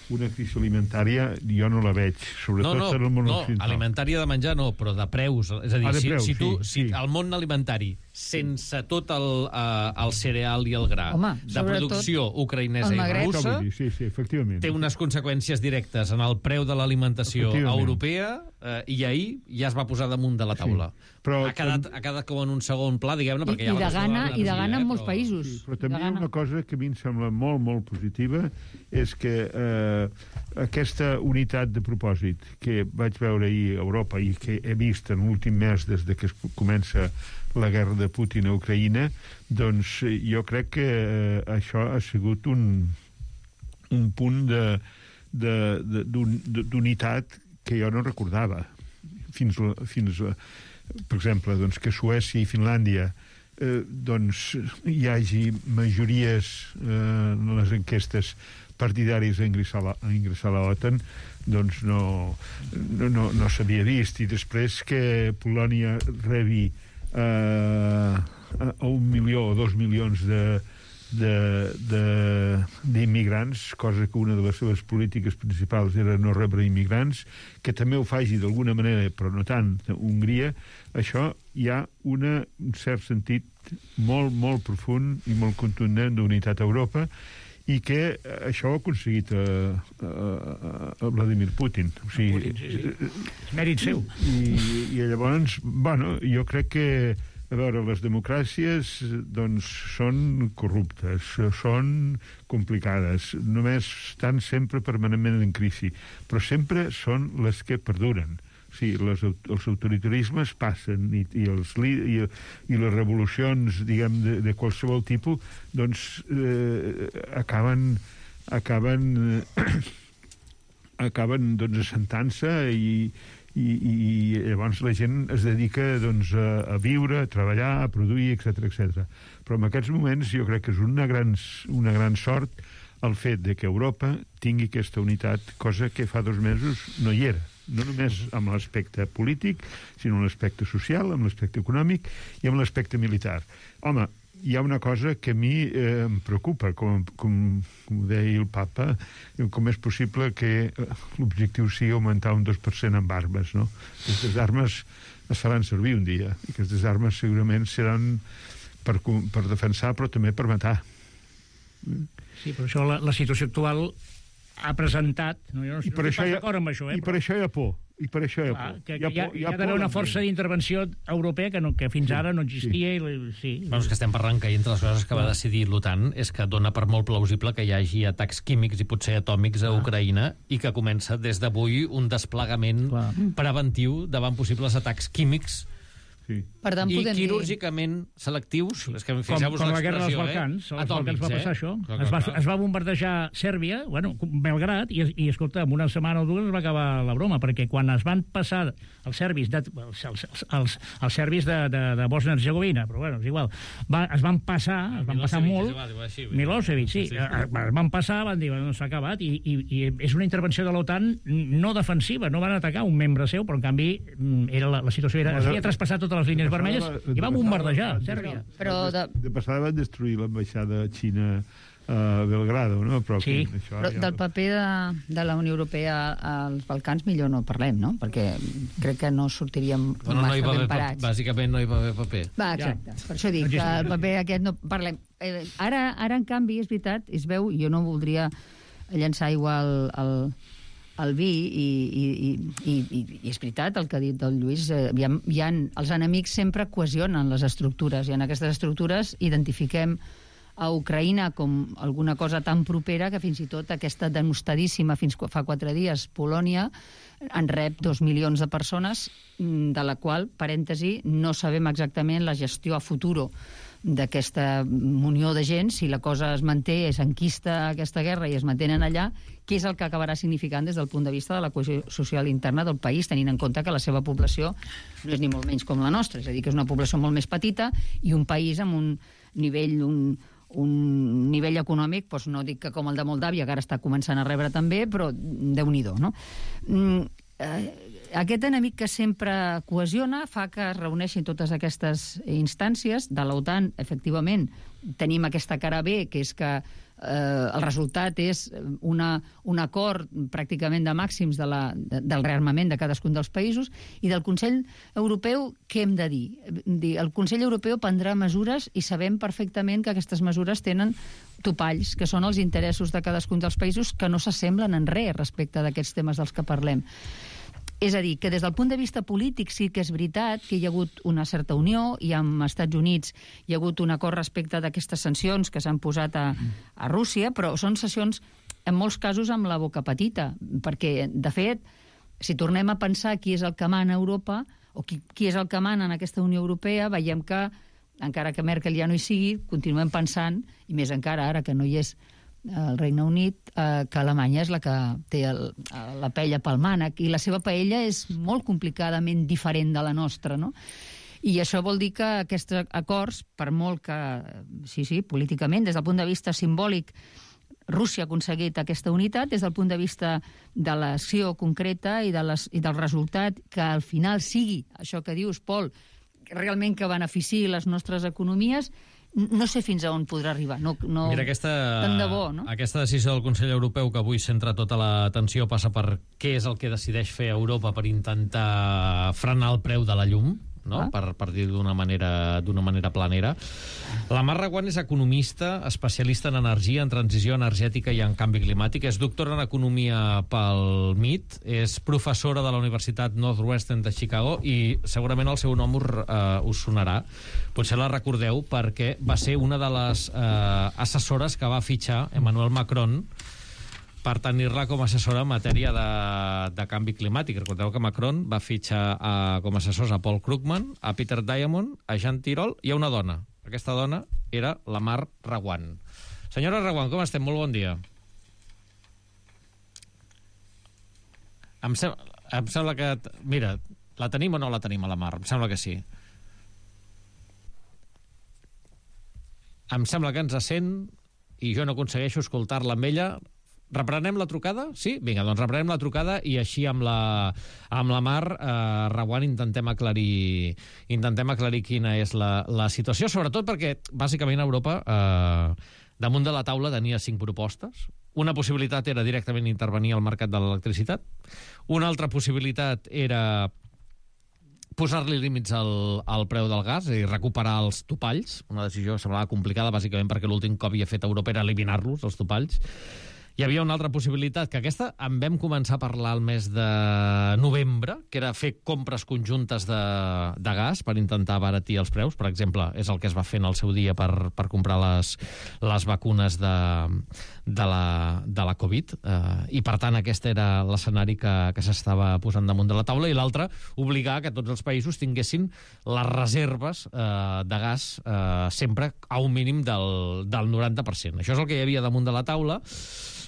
una crisi alimentària jo no la veig, sobretot no, no, en el món no, occidental. alimentària de menjar no, però de preus. És a dir, ah, si, preus, si tu, sí, si sí. el món alimentari, sense tot el, uh, el cereal i el gra, Home, de producció ucraïnesa i russa, sí, sí, efectivament. té unes conseqüències directes en el preu de l'alimentació europea uh, i ahir ja es va posar damunt de la taula. Sí. Però ha, quedat, ha quedat com en un segon pla, diguem-ne, perquè I, ja i de gana, i de gana eh, en molts però... països. Sí, però també hi ha una cosa que a mi em sembla molt, molt positiva, és que eh, aquesta unitat de propòsit que vaig veure ahir a Europa i que he vist en l'últim mes des de que es comença la guerra de Putin a Ucraïna, doncs jo crec que eh, això ha sigut un, un punt de, de, de, d'unitat que jo no recordava fins, fins a, per exemple, doncs, que Suècia i Finlàndia eh, doncs, hi hagi majories eh, en les enquestes partidàries a ingressar a, a ingressar a l'OTAN, doncs no, no, no, no s'havia vist. I després que Polònia rebi eh, a un milió o dos milions de d'immigrants, cosa que una de les seves polítiques principals era no rebre immigrants, que també ho faci d'alguna manera, però no tant, a Hongria, això hi ha una, un cert sentit molt, molt profund i molt contundent d'unitat a Europa, i que això ho ha aconseguit a, a, a Vladimir Putin. O sigui, Putin, sí, sí. És mèrit seu. I, i llavors, bueno, jo crec que a veure, les democràcies doncs són corruptes, són complicades, només estan sempre permanentment en crisi, però sempre són les que perduren. O sigui, les, els autoritarismes passen i, i, els, i, i les revolucions, diguem, de, de qualsevol tipus, doncs eh, acaben acaben eh, acaben doncs assentant-se i I, i llavors la gent es dedica doncs, a, a viure, a treballar, a produir, etcètera, etcètera. Però en aquests moments jo crec que és una gran, una gran sort el fet de que Europa tingui aquesta unitat, cosa que fa dos mesos no hi era. No només amb l'aspecte polític, sinó amb l'aspecte social, amb l'aspecte econòmic i amb l'aspecte militar. Home, hi ha una cosa que a mi eh, em preocupa, com, com, com deia el papa, com és possible que l'objectiu sigui augmentar un dos per cent en armes, no? Aquestes armes es faran servir un dia, i aquestes armes segurament seran per, per defensar, però també per matar. Sí, però això la, la situació actual ha presentat, no, jo no, no estic pas d'acord amb això, eh? I per això hi ha por. I per això hi ha Clar, por. que, hi ha, hi ha, por, hi ha, ha d'haver una força d'intervenció europea que, no, que fins sí, ara no existia. sí. I, sí. Bueno, és que estem parlant que entre les coses que va decidir l'OTAN és que dona per molt plausible que hi hagi atacs químics i potser atòmics a Ucraïna i que comença des d'avui un desplegament Clar. preventiu davant possibles atacs químics Sí. Per tant, i podem quirúrgicament dir... selectius, és que com, com la guerra dels Balcans, eh? als Balcans va passar eh? això. Clar, clar, es, va, clar. es va bombardejar Sèrbia, bueno, Belgrat, i, i escolta, en una setmana o dues es va acabar la broma, perquè quan es van passar els serbis de, els, els, els, els serbis de, de, de Bòsnia-Herzegovina, però bueno, és igual, va, es van passar, es van passar molt, Milosevic, sí, es van passar, van dir, no s'ha acabat, i, i, i és una intervenció de l'OTAN no defensiva, no van atacar un membre seu, però en canvi era la, la situació era, es havia traspassat totes les línies vermelles i van bombardejar Sèrbia. Però de... de passada van destruir l'ambaixada xina a Belgrado, no? Però, sí. aquí, això, Però ja... del paper de, de la Unió Europea als Balcans millor no parlem, no? Perquè crec que no sortiríem Bueno, no hi va massa ben haver, parats. bàsicament no hi va haver paper. Va, exacte. Ja. Per això dic que el paper aquest no parlem. Eh, ara, ara, en canvi, és veritat, es veu, jo no voldria llançar aigua al, al, al vi i, i, i, i, i és veritat el que ha dit el Lluís, eh, hi ha, hi ha, els enemics sempre cohesionen les estructures i en aquestes estructures identifiquem a Ucraïna com alguna cosa tan propera que fins i tot aquesta denostadíssima fins fa quatre dies Polònia en rep dos milions de persones, de la qual, parèntesi, no sabem exactament la gestió a futuro d'aquesta unió de gent, si la cosa es manté, es enquista aquesta guerra i es mantenen allà, què és el que acabarà significant des del punt de vista de la cohesió social interna del país, tenint en compte que la seva població no és ni molt menys com la nostra, és a dir, que és una població molt més petita i un país amb un nivell, un, un nivell econòmic, doncs no dic que com el de Moldàvia, que ara està començant a rebre també, però déu-n'hi-do, no? Mm, eh, aquest enemic que sempre cohesiona fa que es reuneixin totes aquestes instàncies. De l'OTAN, efectivament, tenim aquesta cara B, que és que eh, el resultat és una, un acord pràcticament de màxims de la, de, del rearmament de cadascun dels països, i del Consell Europeu què hem de dir? El Consell Europeu prendrà mesures i sabem perfectament que aquestes mesures tenen topalls, que són els interessos de cadascun dels països, que no s'assemblen en res respecte d'aquests temes dels que parlem. És a dir, que des del punt de vista polític sí que és veritat que hi ha hagut una certa unió i amb Estats Units hi ha hagut un acord respecte d'aquestes sancions que s'han posat a, a Rússia, però són sancions en molts casos amb la boca petita, perquè, de fet, si tornem a pensar qui és el que mana a Europa o qui, qui és el que mana en aquesta Unió Europea, veiem que, encara que Merkel ja no hi sigui, continuem pensant, i més encara ara que no hi és el Regne Unit, eh, que Alemanya és la que té el, la paella pel mànec, i la seva paella és molt complicadament diferent de la nostra, no? I això vol dir que aquests acords, per molt que, sí, sí, políticament, des del punt de vista simbòlic, Rússia ha aconseguit aquesta unitat, des del punt de vista de l'acció concreta i, de les, i del resultat, que al final sigui, això que dius, Pol, realment que beneficiï les nostres economies, no sé fins a on podrà arribar. No, no, Mira, aquesta, tant de bo, no? aquesta decisió del Consell Europeu que avui centra tota l'atenció passa per què és el que decideix fer Europa per intentar frenar el preu de la llum, no? Ah. Per, per dir d'una manera, d'una manera planera. La Mar Reguant és economista, especialista en energia, en transició energètica i en canvi climàtic. És doctora en economia pel M I T, és professora de la Universitat Northwestern de Chicago i segurament el seu nom us, uh, us sonarà. Potser la recordeu perquè va ser una de les uh, assessores que va fitxar Emmanuel Macron per tenir-la com a assessora en matèria de, de canvi climàtic. Recordeu que Macron va fitxar a, com a assessors a Paul Krugman, a Peter Diamond, a Jean Tirole i a una dona. Aquesta dona era la Mar Reguant. Senyora Reguant, com estem? Molt bon dia. Em, sem em sembla que... Mira, la tenim o no la tenim a la Mar? Em sembla que sí. Em sembla que ens sent i jo no aconsegueixo escoltar-la amb ella. Reprenem la trucada? Sí? Vinga, doncs reprenem la trucada i així amb la, amb la Mar eh, Reguant intentem aclarir, intentem aclarir quina és la, la situació, sobretot perquè, bàsicament, Europa eh, damunt de la taula tenia cinc propostes. Una possibilitat era directament intervenir al mercat de l'electricitat. Una altra possibilitat era posar-li límits al, al preu del gas i recuperar els topalls. Una decisió que semblava complicada, bàsicament perquè l'últim que havia fet Europa era eliminar-los, els topalls. Hi havia una altra possibilitat, que aquesta en vam començar a parlar el mes de novembre, que era fer compres conjuntes de, de gas per intentar abaratir els preus. Per exemple, és el que es va fer en el seu dia per, per comprar les, les vacunes de, de, la, de la Covid. Eh, I, per tant, aquest era l'escenari que, que s'estava posant damunt de la taula. I l'altre, obligar que tots els països tinguessin les reserves eh, de gas eh, sempre a un mínim del, del noranta per cent. Això és el que hi havia damunt de la taula.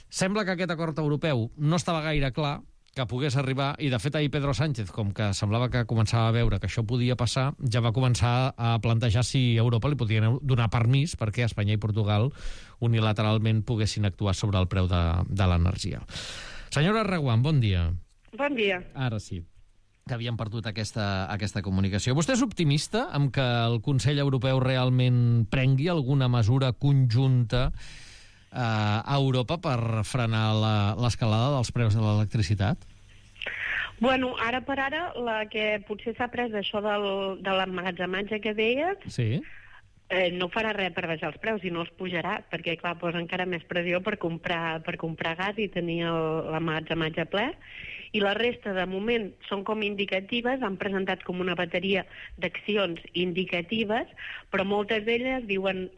Sembla que aquest acord europeu no estava gaire clar que pogués arribar, i de fet ahir Pedro Sánchez, com que semblava que començava a veure que això podia passar, ja va començar a plantejar si Europa li podia donar permís perquè Espanya i Portugal unilateralment poguessin actuar sobre el preu de, de l'energia. Senyora Reguant, bon dia. Bon dia. Ara sí, que havíem perdut aquesta, aquesta comunicació. Vostè és optimista amb que el Consell Europeu realment prengui alguna mesura conjunta a Europa per frenar l'escalada dels preus de l'electricitat? Bueno, ara per ara, la que potser s'ha pres d'això del, de l'emmagatzematge que deies, sí. eh, no farà res per baixar els preus i no els pujarà, perquè, clar, posa encara més pressió per comprar, per comprar gas i tenir l'emmagatzematge ple. I la resta, de moment, són com indicatives, han presentat com una bateria d'accions indicatives, però moltes d'elles diuen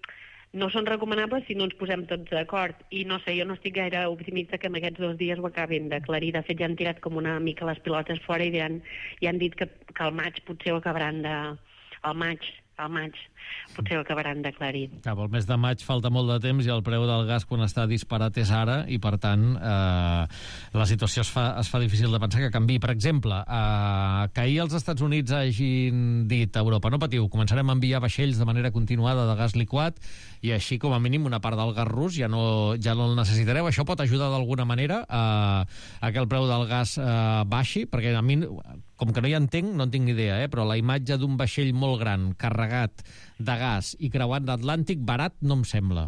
no són recomanables si no ens posem tots d'acord. I no sé, jo no estic gaire optimista que en aquests dos dies ho acabin d'aclarir. De fet, ja han tirat com una mica les pilotes fora i ja han, ja han dit que, que al maig potser ho acabaran de... Al maig, al maig, potser ho acabaran d'aclarir. Cap al mes de maig falta molt de temps i el preu del gas quan està disparat és ara i, per tant, eh, la situació es fa, es fa difícil de pensar que canviï. Per exemple, eh, que ahir els Estats Units hagin dit a Europa, no patiu, començarem a enviar vaixells de manera continuada de gas liquat i així, com a mínim, una part del gas rus ja no, ja no el necessitareu. Això pot ajudar d'alguna manera a, a que el preu del gas eh, baixi? Perquè a mi, com que no hi entenc, no en tinc idea, eh, però la imatge d'un vaixell molt gran, carregat de gas i creuant l'Atlàntic, barat no em sembla.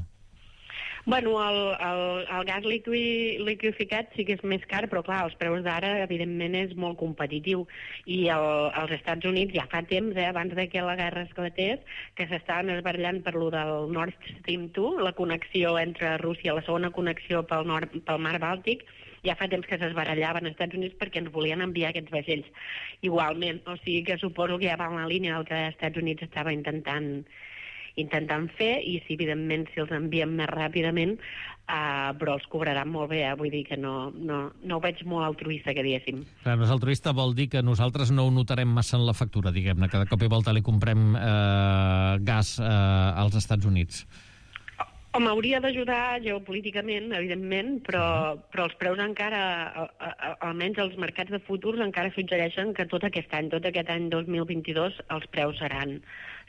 Bueno, el, el, el gas liqui, liquificat sí que és més car, però clar, els preus d'ara, evidentment, és molt competitiu. I el, els Estats Units ja fa temps, eh, abans de que la guerra esclatés, que s'estaven esbarallant per lo del Nord Stream dos, la connexió entre Rússia, la segona connexió pel, nord, pel mar Bàltic, ja fa temps que s'esbarallaven als Estats Units perquè ens volien enviar aquests vaixells igualment. O sigui que suposo que ja va en la línia del que els Estats Units estava intentant intentant fer, i si, evidentment, si els enviem més ràpidament, uh, però els cobraran molt bé, eh? Vull dir que no, no, no ho veig molt altruista, que diguéssim. Clar, no és altruista, vol dir que nosaltres no ho notarem massa en la factura, diguem-ne, que de cop i volta li comprem eh, gas eh, als Estats Units. Home, hauria d'ajudar geopolíticament, evidentment, però, però els preus encara, almenys els mercats de futurs, encara suggereixen que tot aquest any, tot aquest any dos mil vint-i-dos, els preus seran,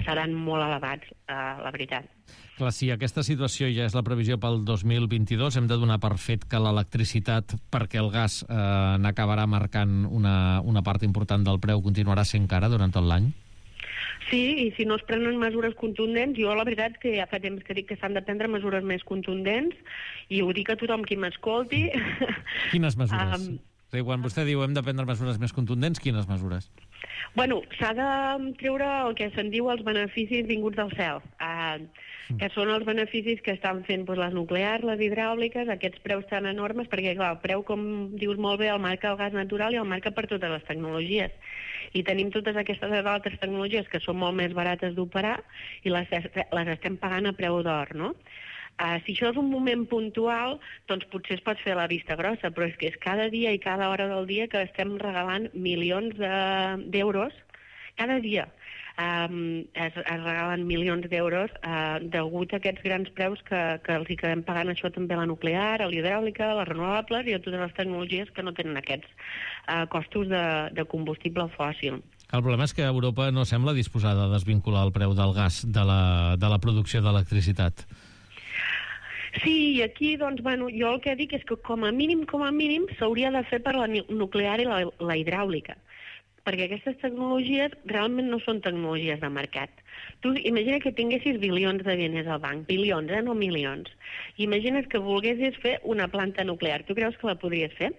seran molt elevats, eh, la veritat. Clar, si aquesta situació ja és la previsió pel dos mil vint-i-dos, hem de donar per fet que l'electricitat, perquè el gas eh, n'acabarà marcant una, una part important del preu, continuarà sent cara durant tot l'any? Sí, i si no es prenen mesures contundents, jo la veritat que ja fa temps que dic que s'han de prendre mesures més contundents, i ho dic a tothom qui m'escolti. Quines mesures? Um, sí, quan vostè diu hem de prendre mesures més contundents, quines mesures? Bueno, s'ha de treure el que se'n diu els beneficis vinguts del cel, uh, que són els beneficis que estan fent doncs, les nuclears, les hidràuliques, aquests preus tan enormes, perquè clar, el preu, com dius molt bé, el marca el gas natural i el marca per totes les tecnologies. I tenim totes aquestes altres tecnologies que són molt més barates d'operar i les, les estem pagant a preu d'or, no? Uh, si això és un moment puntual, doncs potser es pot fer la vista grossa, però és que és cada dia i cada hora del dia que estem regalant milions d'euros, cada dia. Um, es, es regalen milions d'euros uh, degut a aquests grans preus que, que els hi quedem pagant això també a la nuclear, a l'hidràulica, a les renovables i a totes les tecnologies que no tenen aquests uh, costos de, de combustible fòssil. El problema és que Europa no sembla disposada a desvincular el preu del gas de la, de la producció d'electricitat. Sí, i aquí, doncs, bueno, jo el que dic és que com a mínim, com a mínim, s'hauria de fer per la nuclear i la, la hidràulica, perquè aquestes tecnologies realment no són tecnologies de mercat. Tu imagina que tinguessis bilions de diners al banc, bilions, eh, no milions. Imagina't que volguessis fer una planta nuclear. Tu creus que la podries fer?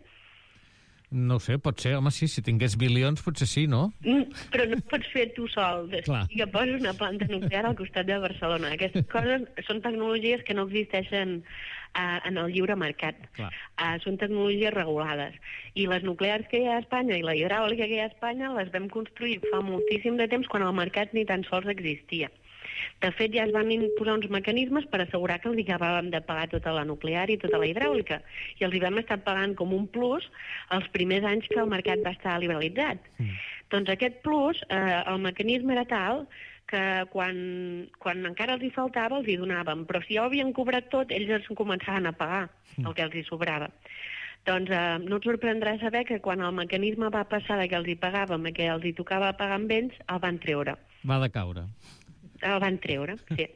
No ho sé, pot ser. Home, sí, si tingués bilions, potser sí, no? Mm, però no pots fer tu sol. Clar. Que poses una planta nuclear al costat de Barcelona. Aquestes coses són tecnologies que no existeixen uh, en el lliure mercat. Uh, són tecnologies regulades. I les nuclears que hi ha a Espanya i la hidràulica que hi ha a Espanya les vam construir fa moltíssim de temps quan el mercat ni tan sols existia. De fet, ja es van imposar uns mecanismes per assegurar que els hi acabàvem de pagar tota la nuclear i tota la hidràulica. I els hi vam estar pagant com un plus els primers anys que el mercat va estar liberalitzat. Mm. Doncs aquest plus, eh, el mecanisme era tal que quan, quan encara els hi faltava els hi donàvem. Però si ja ho havien cobrat tot, ells es començaven a pagar el que els hi sobrava. Doncs eh, no et sorprendrà saber que quan el mecanisme va passar de que els hi pagàvem a que els hi tocava pagar amb ells, el van treure. Va decaure. El van treure, sí.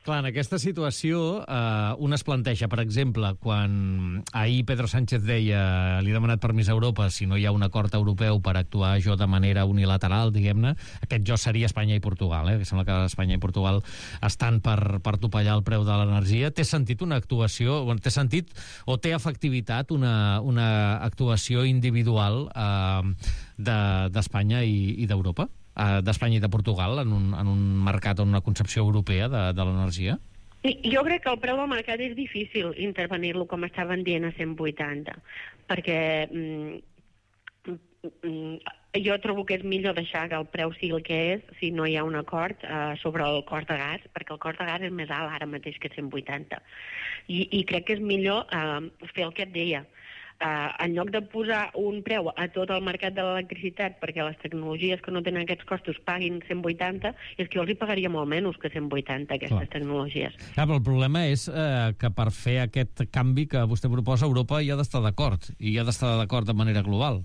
Clar, en aquesta situació eh, un es planteja, per exemple, quan ahir Pedro Sánchez deia li he demanat permís a Europa si no hi ha un acord europeu per actuar jo de manera unilateral, diguem-ne, aquest jo seria Espanya i Portugal, eh? Que sembla que Espanya i Portugal estan per, per topallar el preu de l'energia. Té sentit una actuació, té sentit o té efectivitat una, una actuació individual eh, d'Espanya de, i, i d'Europa? d'Espanya i de Portugal en un, en un mercat o en una concepció europea de, de l'energia? Jo crec que el preu del mercat és difícil intervenir-lo com estaven dient a cent vuitanta, perquè mm, mm, jo trobo que és millor deixar que el preu sigui el que és si no hi ha un acord eh, sobre el cost de gas, perquè el cost de gas és més alt ara mateix que cent vuitanta. I, i crec que és millor eh, fer el que et deia. Uh, en lloc de posar un preu a tot el mercat de l'electricitat perquè les tecnologies que no tenen aquests costos paguin cent vuitanta, és que jo els hi pagaria molt menys que cent vuitanta aquestes Clar. tecnologies. Clar, però el problema és eh, que per fer aquest canvi que vostè proposa, Europa hi ha d'estar d'acord, i hi ha d'estar d'acord de manera global.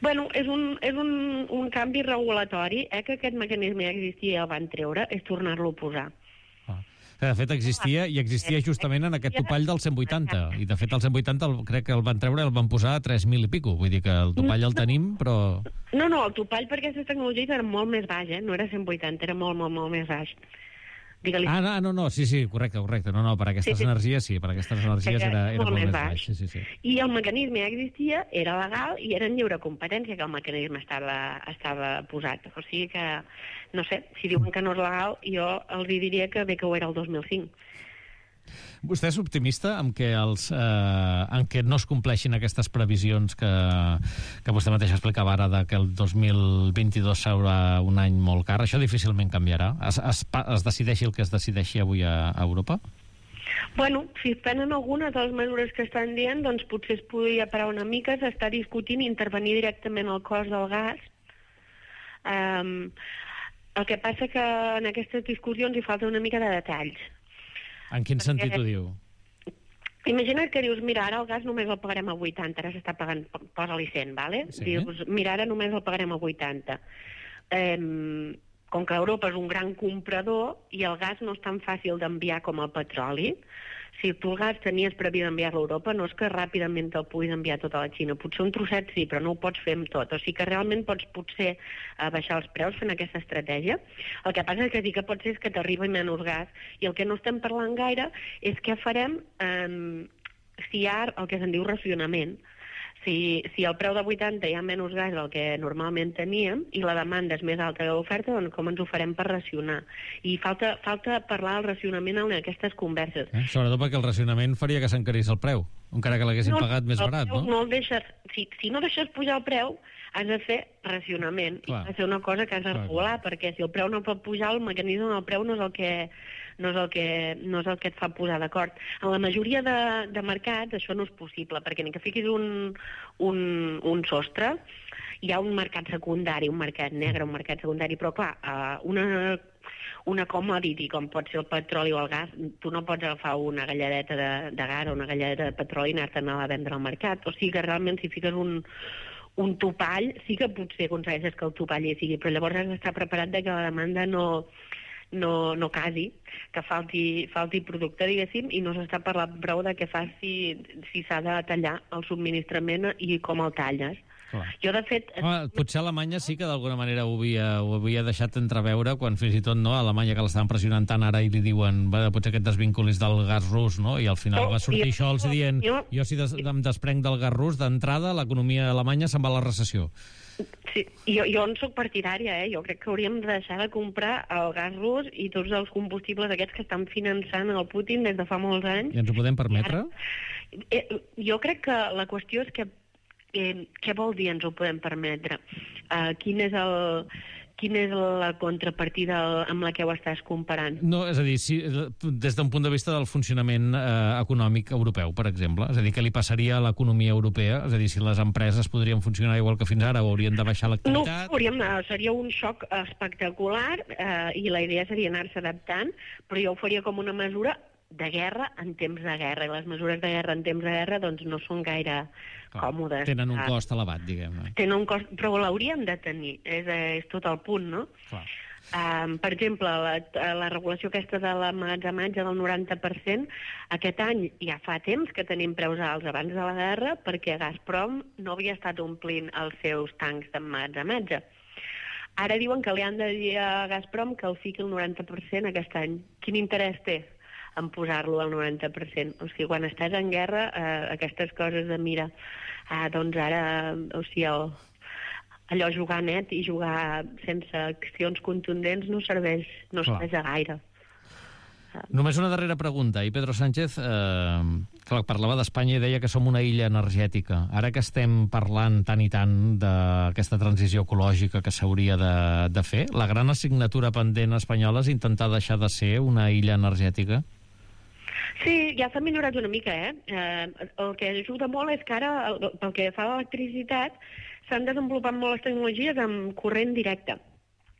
Bueno, és un, és un, un canvi regulatori, eh, que aquest mecanisme ja existia i el van treure, és tornar-lo a posar. Que de fet existia, i existia justament en aquest topall del cent vuitanta, i de fet el cent vuitanta el, crec que el van treure i el van posar a tres mil i pico, vull dir que el topall el tenim, però... No, no, el topall per aquestes tecnologies era molt més baix, eh? No era cent vuitanta, era molt, molt, molt més baix. Digue-li. Ah, no, no, no, sí, sí, correcte, correcte. No, no, per aquestes sí, sí. energies sí, per aquestes energies era, era molt, molt més baix. baix. Sí, sí, sí. I el mecanisme ja existia, era legal i era en lliure competència que el mecanisme estava, estava posat. O sigui que, no sé, si diuen que no és legal, jo els diria que bé que ho era el dos mil cinc. Vostè és optimista en què, els, eh, en què no es compleixin aquestes previsions que, que vostè mateix explicava ara de que el dos mil vint-i-dos serà un any molt car? Això difícilment canviarà. Es, es, es decideixi el que es decideixi avui a, a Europa? Bueno, si es prenen algunes de les mesures que estan dient, doncs potser es podria parar una mica, s'està discutint intervenir directament el cost del gas. Um, el que passa que en aquestes discussions hi falta una mica de detalls. En quin Perquè, sentit ho diu? Imagina't que dius, mira, ara el gas només el pagarem a vuitanta, ara s'està pagant, posa-li cent, vale? Sí. Dius, mira, ara només el pagarem a vuitanta. Eh, com que Europa és un gran comprador i el gas no és tan fàcil d'enviar com el petroli, si tu el gas tenies previst enviar-lo a Europa, no és que ràpidament te'l puguis enviar tot a la Xina. Potser un trosset sí, però no ho pots fer amb tot. O sigui que realment pots potser uh, baixar els preus fent aquesta estratègia. El que passa és que sí que pot ser que t'arribi menys gas. I el que no estem parlant gaire és què farem um, si hi ha el que se'n diu racionament. Si, si al preu de vuitanta hi ha menys gas del que normalment teníem i la demanda és més alta que l'oferta, doncs com ens ho farem per racionar? I falta, falta parlar del racionament en aquestes converses. Eh? Sobretot perquè el racionament faria que s'encarís el preu, encara que l'haguessin no, pagat més barat, no? no el deixes, si, si no deixes pujar el preu, has de fer racionament. Clar. I has de fer una cosa que has de clar, regular, clar. Perquè si el preu no pot pujar, el mecanisme del preu no és el que... no és el que, no és el que et fa posar d'acord. En la majoria de, de mercats això no és possible, perquè ni que fiquis un, un, un sostre, hi ha un mercat secundari, un mercat negre, un mercat secundari, però clar, una, una commodity com pot ser el petroli o el gas, tu no pots agafar una galladeta de, de gas o una galladeta de petroli i anar-te'n a vendre al mercat. O sigui que realment si fiques un, un topall, sí que potser aconsegueixes que el topall hi sigui, però llavors has d'estar preparat de que la demanda no... no, no casi, que falti, falti producte, diguéssim, i no s'està parlant prou de què fas si, si s'ha de tallar el subministrament i com el talles. Clar. Jo, de fet... Home, potser Alemanya sí que d'alguna manera ho havia, ho havia deixat entreveure quan fins i tot no, a Alemanya que l'estaven pressionant tant ara i li diuen va, potser aquest desvinculis del gas rus, no? I al final no, va sortir jo, Scholz dient jo, jo si des, em desprenc del gas rus, d'entrada l'economia alemanya se'n va a la recessió. Sí, jo, jo en soc partidària, eh? Jo crec que hauríem de deixar de comprar el gas rus i tots els combustibles aquests que estan finançant el Putin des de fa molts anys. I ens ho podem permetre? Ara, eh, jo crec que la qüestió és que eh, què vol dir ens ho podem permetre? Uh, quin és el... Quina és la contrapartida amb la que ho estàs comparant? No, és a dir, si, des d'un punt de vista del funcionament eh, econòmic europeu, per exemple. És a dir, què li passaria a l'economia europea? És a dir, si les empreses podrien funcionar igual que fins ara o haurien de baixar l'activitat? No, hauríem, seria un xoc espectacular eh, i la idea seria anar-se adaptant, però jo ho faria com una mesura de guerra en temps de guerra, i les mesures de guerra en temps de guerra doncs no són gaire Clar, còmodes. Tenen un cost elevat, diguem-ne. Tenen un cost, però l'hauríem de tenir, és, és tot el punt, no? Clar. Um, per exemple, la, la regulació aquesta de l'emmagatzematge del noranta per cent, aquest any ja fa temps que tenim preus alts abans de la guerra perquè Gazprom no havia estat omplint els seus tancs d'emmagatzematge. Ara diuen que li han de dir a Gazprom que el fiqui el noranta per cent aquest any. Quin interès té en posar-lo al noranta per cent? O sigui, quan estàs en guerra, eh, aquestes coses de mira, eh, doncs ara, o sigui, el, allò jugar net i jugar sense accions contundents no serveix, no serveix a gaire. Només una darrera pregunta. I Pedro Sánchez eh, clar, parlava d'Espanya i deia que som una illa energètica. Ara que estem parlant tant i tant d'aquesta transició ecològica que s'hauria de, de fer, la gran assignatura pendent espanyola és intentar deixar de ser una illa energètica? Sí, ja s'ha millorat una mica, eh? eh? El que ajuda molt és que ara, pel que fa a l'electricitat, s'han desenvolupat molt les tecnologies amb corrent directe,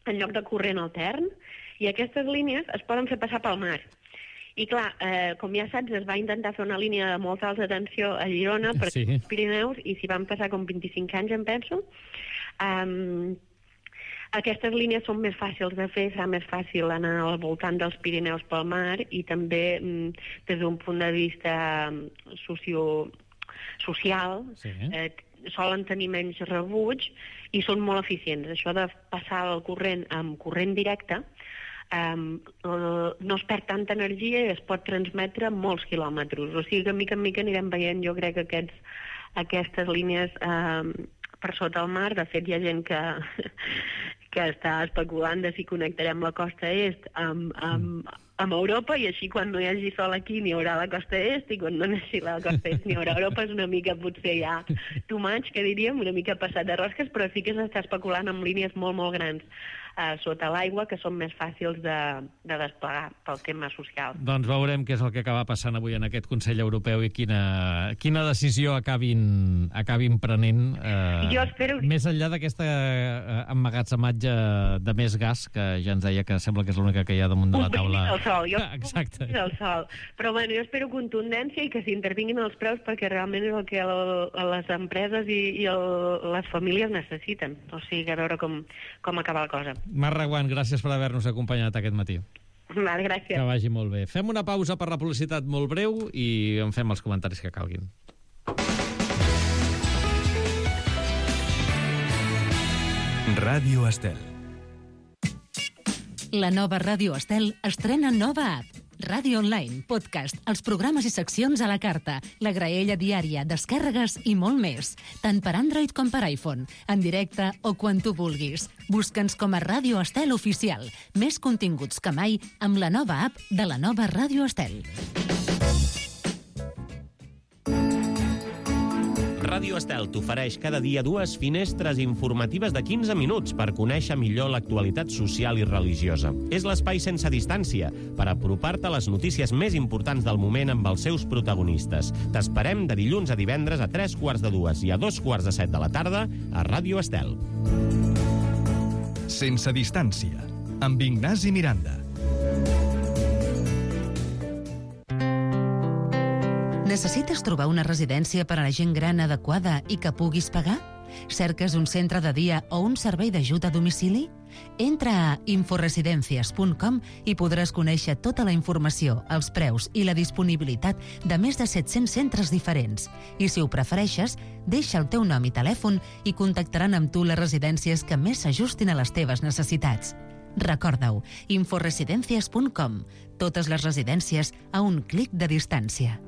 en lloc de corrent altern, i aquestes línies es poden fer passar pel mar. I clar, eh, com ja saps, es va intentar fer una línia de molta alta tensió a Girona per sí. els Pirineus, i s'hi van passar com vint-i-cinc anys, em penso. Um, aquestes línies són més fàcils de fer, serà més fàcil anar al voltant dels Pirineus pel mar, i també mm, des d'un punt de vista socio, social, sí. eh, solen tenir menys rebuig i són molt eficients. Això de passar el corrent amb corrent directe um, no es perd tanta energia i es pot transmetre molts quilòmetres. O sigui que mica en mica anirem veient, jo crec, que aquests, aquestes línies um, per sota el mar. De fet, hi ha gent que, que està especulant de si connectarem la costa est amb, amb, amb Europa, i així quan no hi hagi sol aquí n'hi haurà la costa est, i quan no hi hagi la costa est n'hi haurà Europa. És una mica, potser ja too much, que diríem, una mica passat de rosques, però sí que s'està especulant amb línies molt, molt grans eh, sota l'aigua, que són més fàcils de, de desplegar pel tema social. Doncs veurem què és el que acaba passant avui en aquest Consell Europeu i quina, quina decisió acabin, acabin prenent eh, jo espero... més enllà d'aquesta eh, emmagatzematge de més gas, que ja ens deia que sembla que és l'única que hi ha damunt de la taula. El sol, jo Exacte. el sol. Però bueno, jo espero contundència i que s'intervinguin els preus, perquè realment és el que el, les empreses i, i el, les famílies necessiten. O sigui, a veure com, com acaba la cosa. Mar Reguant, gràcies per haver-nos acompanyat aquest matí. Val, gràcies. Que vagi molt bé. Fem una pausa per la publicitat molt breu i en fem els comentaris que calguin. Ràdio Estel. La nova Ràdio Estel estrena nova app. Ràdio Online, podcast, els programes i seccions a la carta, la graella diària, descàrregues i molt més. Tant per Android com per iPhone, en directe o quan tu vulguis. Busca'ns com a Ràdio Estel Oficial. Més continguts que mai amb la nova app de la nova Ràdio Estel. Ràdio Estel t'ofereix cada dia dues finestres informatives de quinze minuts per conèixer millor l'actualitat social i religiosa. És l'espai sense distància per apropar-te a les notícies més importants del moment amb els seus protagonistes. T'esperem de dilluns a divendres a tres quarts de dues i a dos quarts de set de la tarda a Ràdio Estel. Sense distància, amb Ignasi Miranda. Necessites trobar una residència per a la gent gran adequada i que puguis pagar? Cerques un centre de dia o un servei d'ajut a domicili? Entra a inforesidencias punt com i podràs conèixer tota la informació, els preus i la disponibilitat de més de set-cents centres diferents. I si ho prefereixes, deixa el teu nom i telèfon i contactaran amb tu les residències que més s'ajustin a les teves necessitats. Recorda-ho, inforesidencias punt com. Totes les residències a un clic de distància.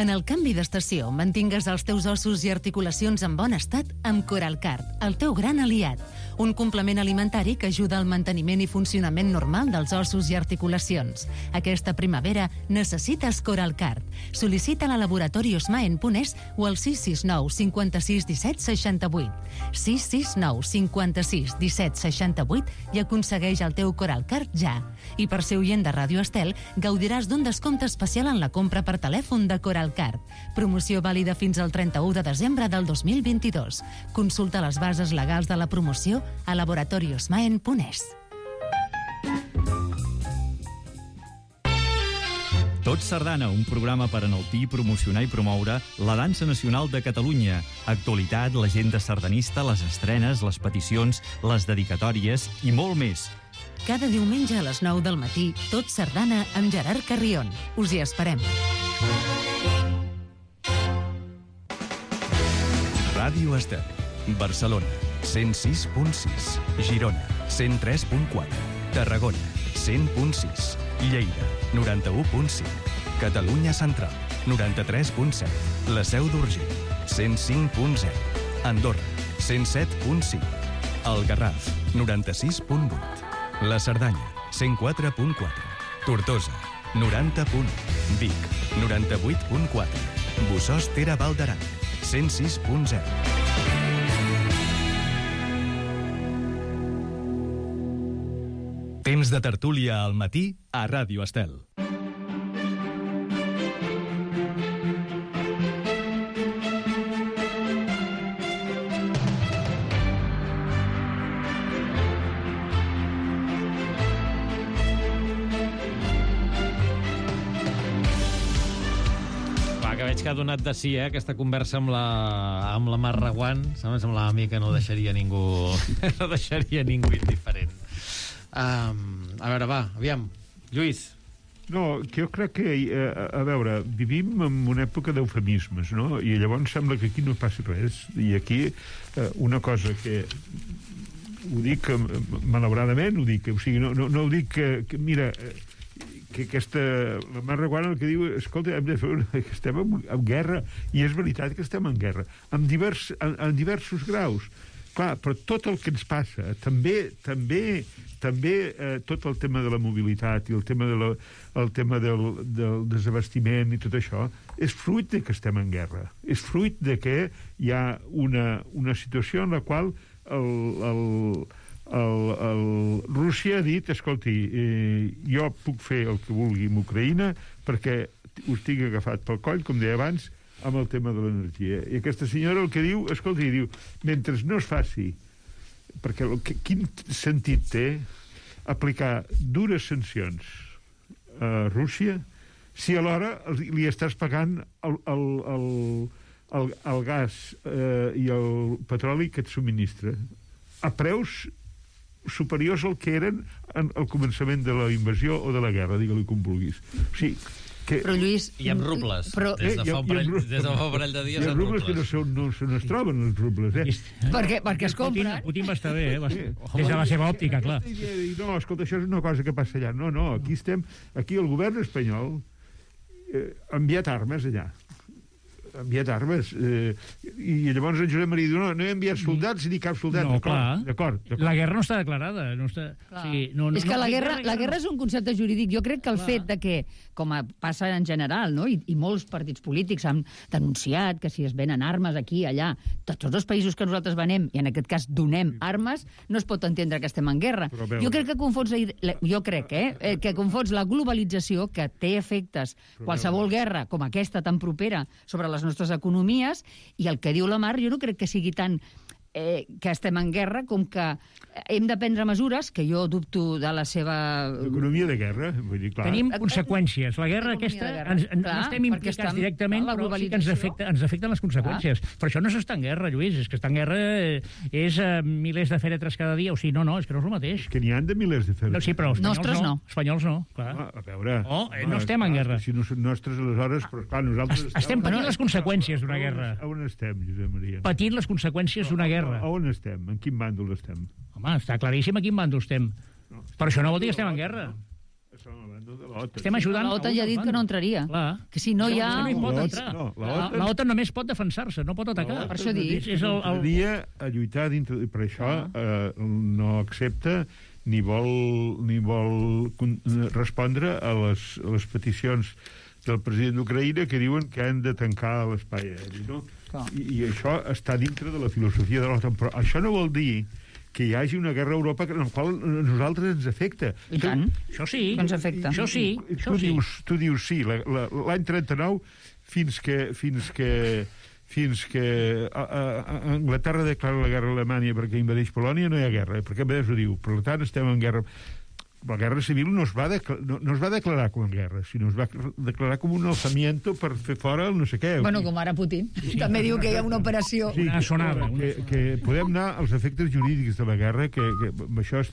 En el canvi d'estació, mantingues els teus ossos i articulacions en bon estat amb Coralcard, el teu gran aliat. Un complement alimentari que ajuda al manteniment i funcionament normal dels ossos i articulacions. Aquesta primavera necessites Coralcard. Sol·licita-la a laboratori osmaen punt es o al sis sis nou cinquanta-sis disset seixanta-vuit. sis sis nou cinquanta-sis disset seixanta-vuit i aconsegueix el teu Coralcard ja. I per ser oient de Ràdio Estel, gaudiràs d'un descompte especial en la compra per telèfon de Coralcard. Promoció vàlida fins al trenta-u de desembre del dos mil vint-i-dos. Consulta les bases legals de la promoció a laboratori osmaen punt es. Tot Sardana, un programa per enaltir, promocionar i promoure la dansa nacional de Catalunya. Actualitat, l'agenda sardanista, les estrenes, les peticions, les dedicatòries i molt més. Cada diumenge a les nou del matí, Tot Sardana amb Gerard Carrion. Us hi esperem. Ràdio Estel, Barcelona, cent sis punt sis, Girona, cent tres punt quatre, Tarragona, cent punt sis, Lleida, noranta-u punt cinc, Catalunya Central, noranta-tres punt set, La Seu d'Urgell, cent cinc punt zero, Andorra, cent set punt cinc, El Garraf, noranta-sis punt vuit, La Cerdanya, cent quatre punt quatre, Tortosa, noranta punt u, Vic, noranta-vuit punt quatre, Bossòst Ter Val d'Aran, cent sis punt zero. Temps de tertúlia al matí a Ràdio Estel. Veig que ha donat de sí, eh, aquesta conversa amb la, amb la Mar Reguant. Em semblava a mi que no deixaria ningú no deixaria ningú indiferent. Um, a veure, va, aviam. Lluís. No, que jo crec que, a, a veure, vivim en una època d'eufemismes, no? I llavors sembla que aquí no passi res. I aquí eh, una cosa que ho dic malauradament, ho dic, o sigui, no, no, no ho dic que, que mira... que aquesta, la Mar Reguant el que diu, escolta, hem de fer una, que estem en, en guerra, i és veritat que estem en guerra, en, divers, en, en diversos graus. Clar, però tot el que ens passa, també, també, també eh, tot el tema de la mobilitat i el tema, de la, el tema del, del desabastiment i tot això, és fruit de que estem en guerra. És fruit de que hi ha una, una situació en la qual el... el El, el, Rússia ha dit, escolti, eh, jo puc fer el que vulgui amb Ucraïna perquè us tinc agafat pel coll, com deia abans, amb el tema de l'energia. I aquesta senyora el que diu, escolti, diu, mentre no es faci, perquè el, que, quin sentit té aplicar dures sancions a Rússia si alhora li estàs pagant el, el, el, el, el gas eh, i el petroli que et subministra a preus superiors al que eren al començament de la invasió o de la guerra, digue-li com vulguis. O sigui, que... Però, Lluís... I amb rubles. Però... Des de fa un parell, des de fa un parell de dies amb rubles. I amb rubles que no, se, no se no es troben, els rubles, eh? Perquè, perquè es compren. Putin, Putin va estar bé, eh? Va, des de la seva òptica, clar. No, escolta, això és una cosa que passa allà. No, no, aquí estem... Aquí el govern espanyol eh, ha enviat armes allà. Ha enviat armes. Eh, I llavors en Josep Maria diu, no, no he enviat soldats ni cap soldat. No, clar. D'acord. La guerra no està declarada. No està... Sí, no, no, és que no, la, guerra, guerra, la guerra és un concepte jurídic. Jo crec que el clar. fet de que, com a passa en general, no? I, i molts partits polítics han denunciat que si es venen armes aquí, allà, de tots els països que nosaltres venem, i en aquest cas donem armes, no es pot entendre que estem en guerra. Jo crec que confons la, jo crec, eh, que confons la globalització, que té efectes, qualsevol guerra com aquesta tan propera sobre les nostres economies, i el que diu la Mar, jo no crec que sigui tan eh, que estem en guerra com que hem de prendre mesures, que jo dubto de la seva... Economia de guerra, vull dir, clar. Tenim conseqüències. La guerra aquesta, de guerra. ens, ens, Clar, no estem implicats estem, directament, clar, però sí que ens, afecta, ens afecten les conseqüències. Clar. Per això no s'està en guerra, Lluís, és que està en guerra eh, és eh, milers de fèretres cada dia, o sigui, no, no, és que no és el mateix. Que n'hi ha de milers de fèretres. No, sí, però espanyols Nostres no. no. Espanyols no, clar. Ah, a veure... Oh, eh, no ah, estem en guerra. Si no són nostres, aleshores, però clar, nosaltres... Es, estem patint les conseqüències d'una guerra. A on estem, Josep Maria? Patint les conseqüències d'una guerra. A on estem? En quin bàndol estem? Home, està claríssim a quin bàndol estem. No, però això no vol dir que estem en guerra. Estem a bàndol de l'OTAN. Estem ajudant... L'OTAN ja ha dit que no entraria. Clar. Que si no hi ha... No hi pot entrar. No, L'OTAN només pot defensar-se, no pot atacar. Per això dic. És el, el... dia a lluitar dintre... Per això eh, no accepta ni vol, ni vol respondre a les, a les peticions del president d'Ucraïna que diuen que han de tancar l'espai aeri, no? I, I això està dintre de la filosofia de l'OTAN. Però això no vol dir que hi hagi una guerra a Europa en la qual a nosaltres ens afecta. I tant. Això sí. Ens afecta. Això sí. Tu, dius, tu dius sí. L'any trenta-nou, fins que, fins que, fins que a, a, a Anglaterra declara la guerra a Alemanya perquè invadeix Polònia, no hi ha guerra, perquè a més ho diu. Per tant, estem en guerra. la guerra civil no es, va no, no es va declarar com a guerra, sinó es va declarar com un alzamiento per fer fora el no sé què. Bueno, com ara Putin. Sí. També diu que hi ha una operació... Sí, una sonada. Que, que podem anar als efectes jurídics de la guerra, que, que això és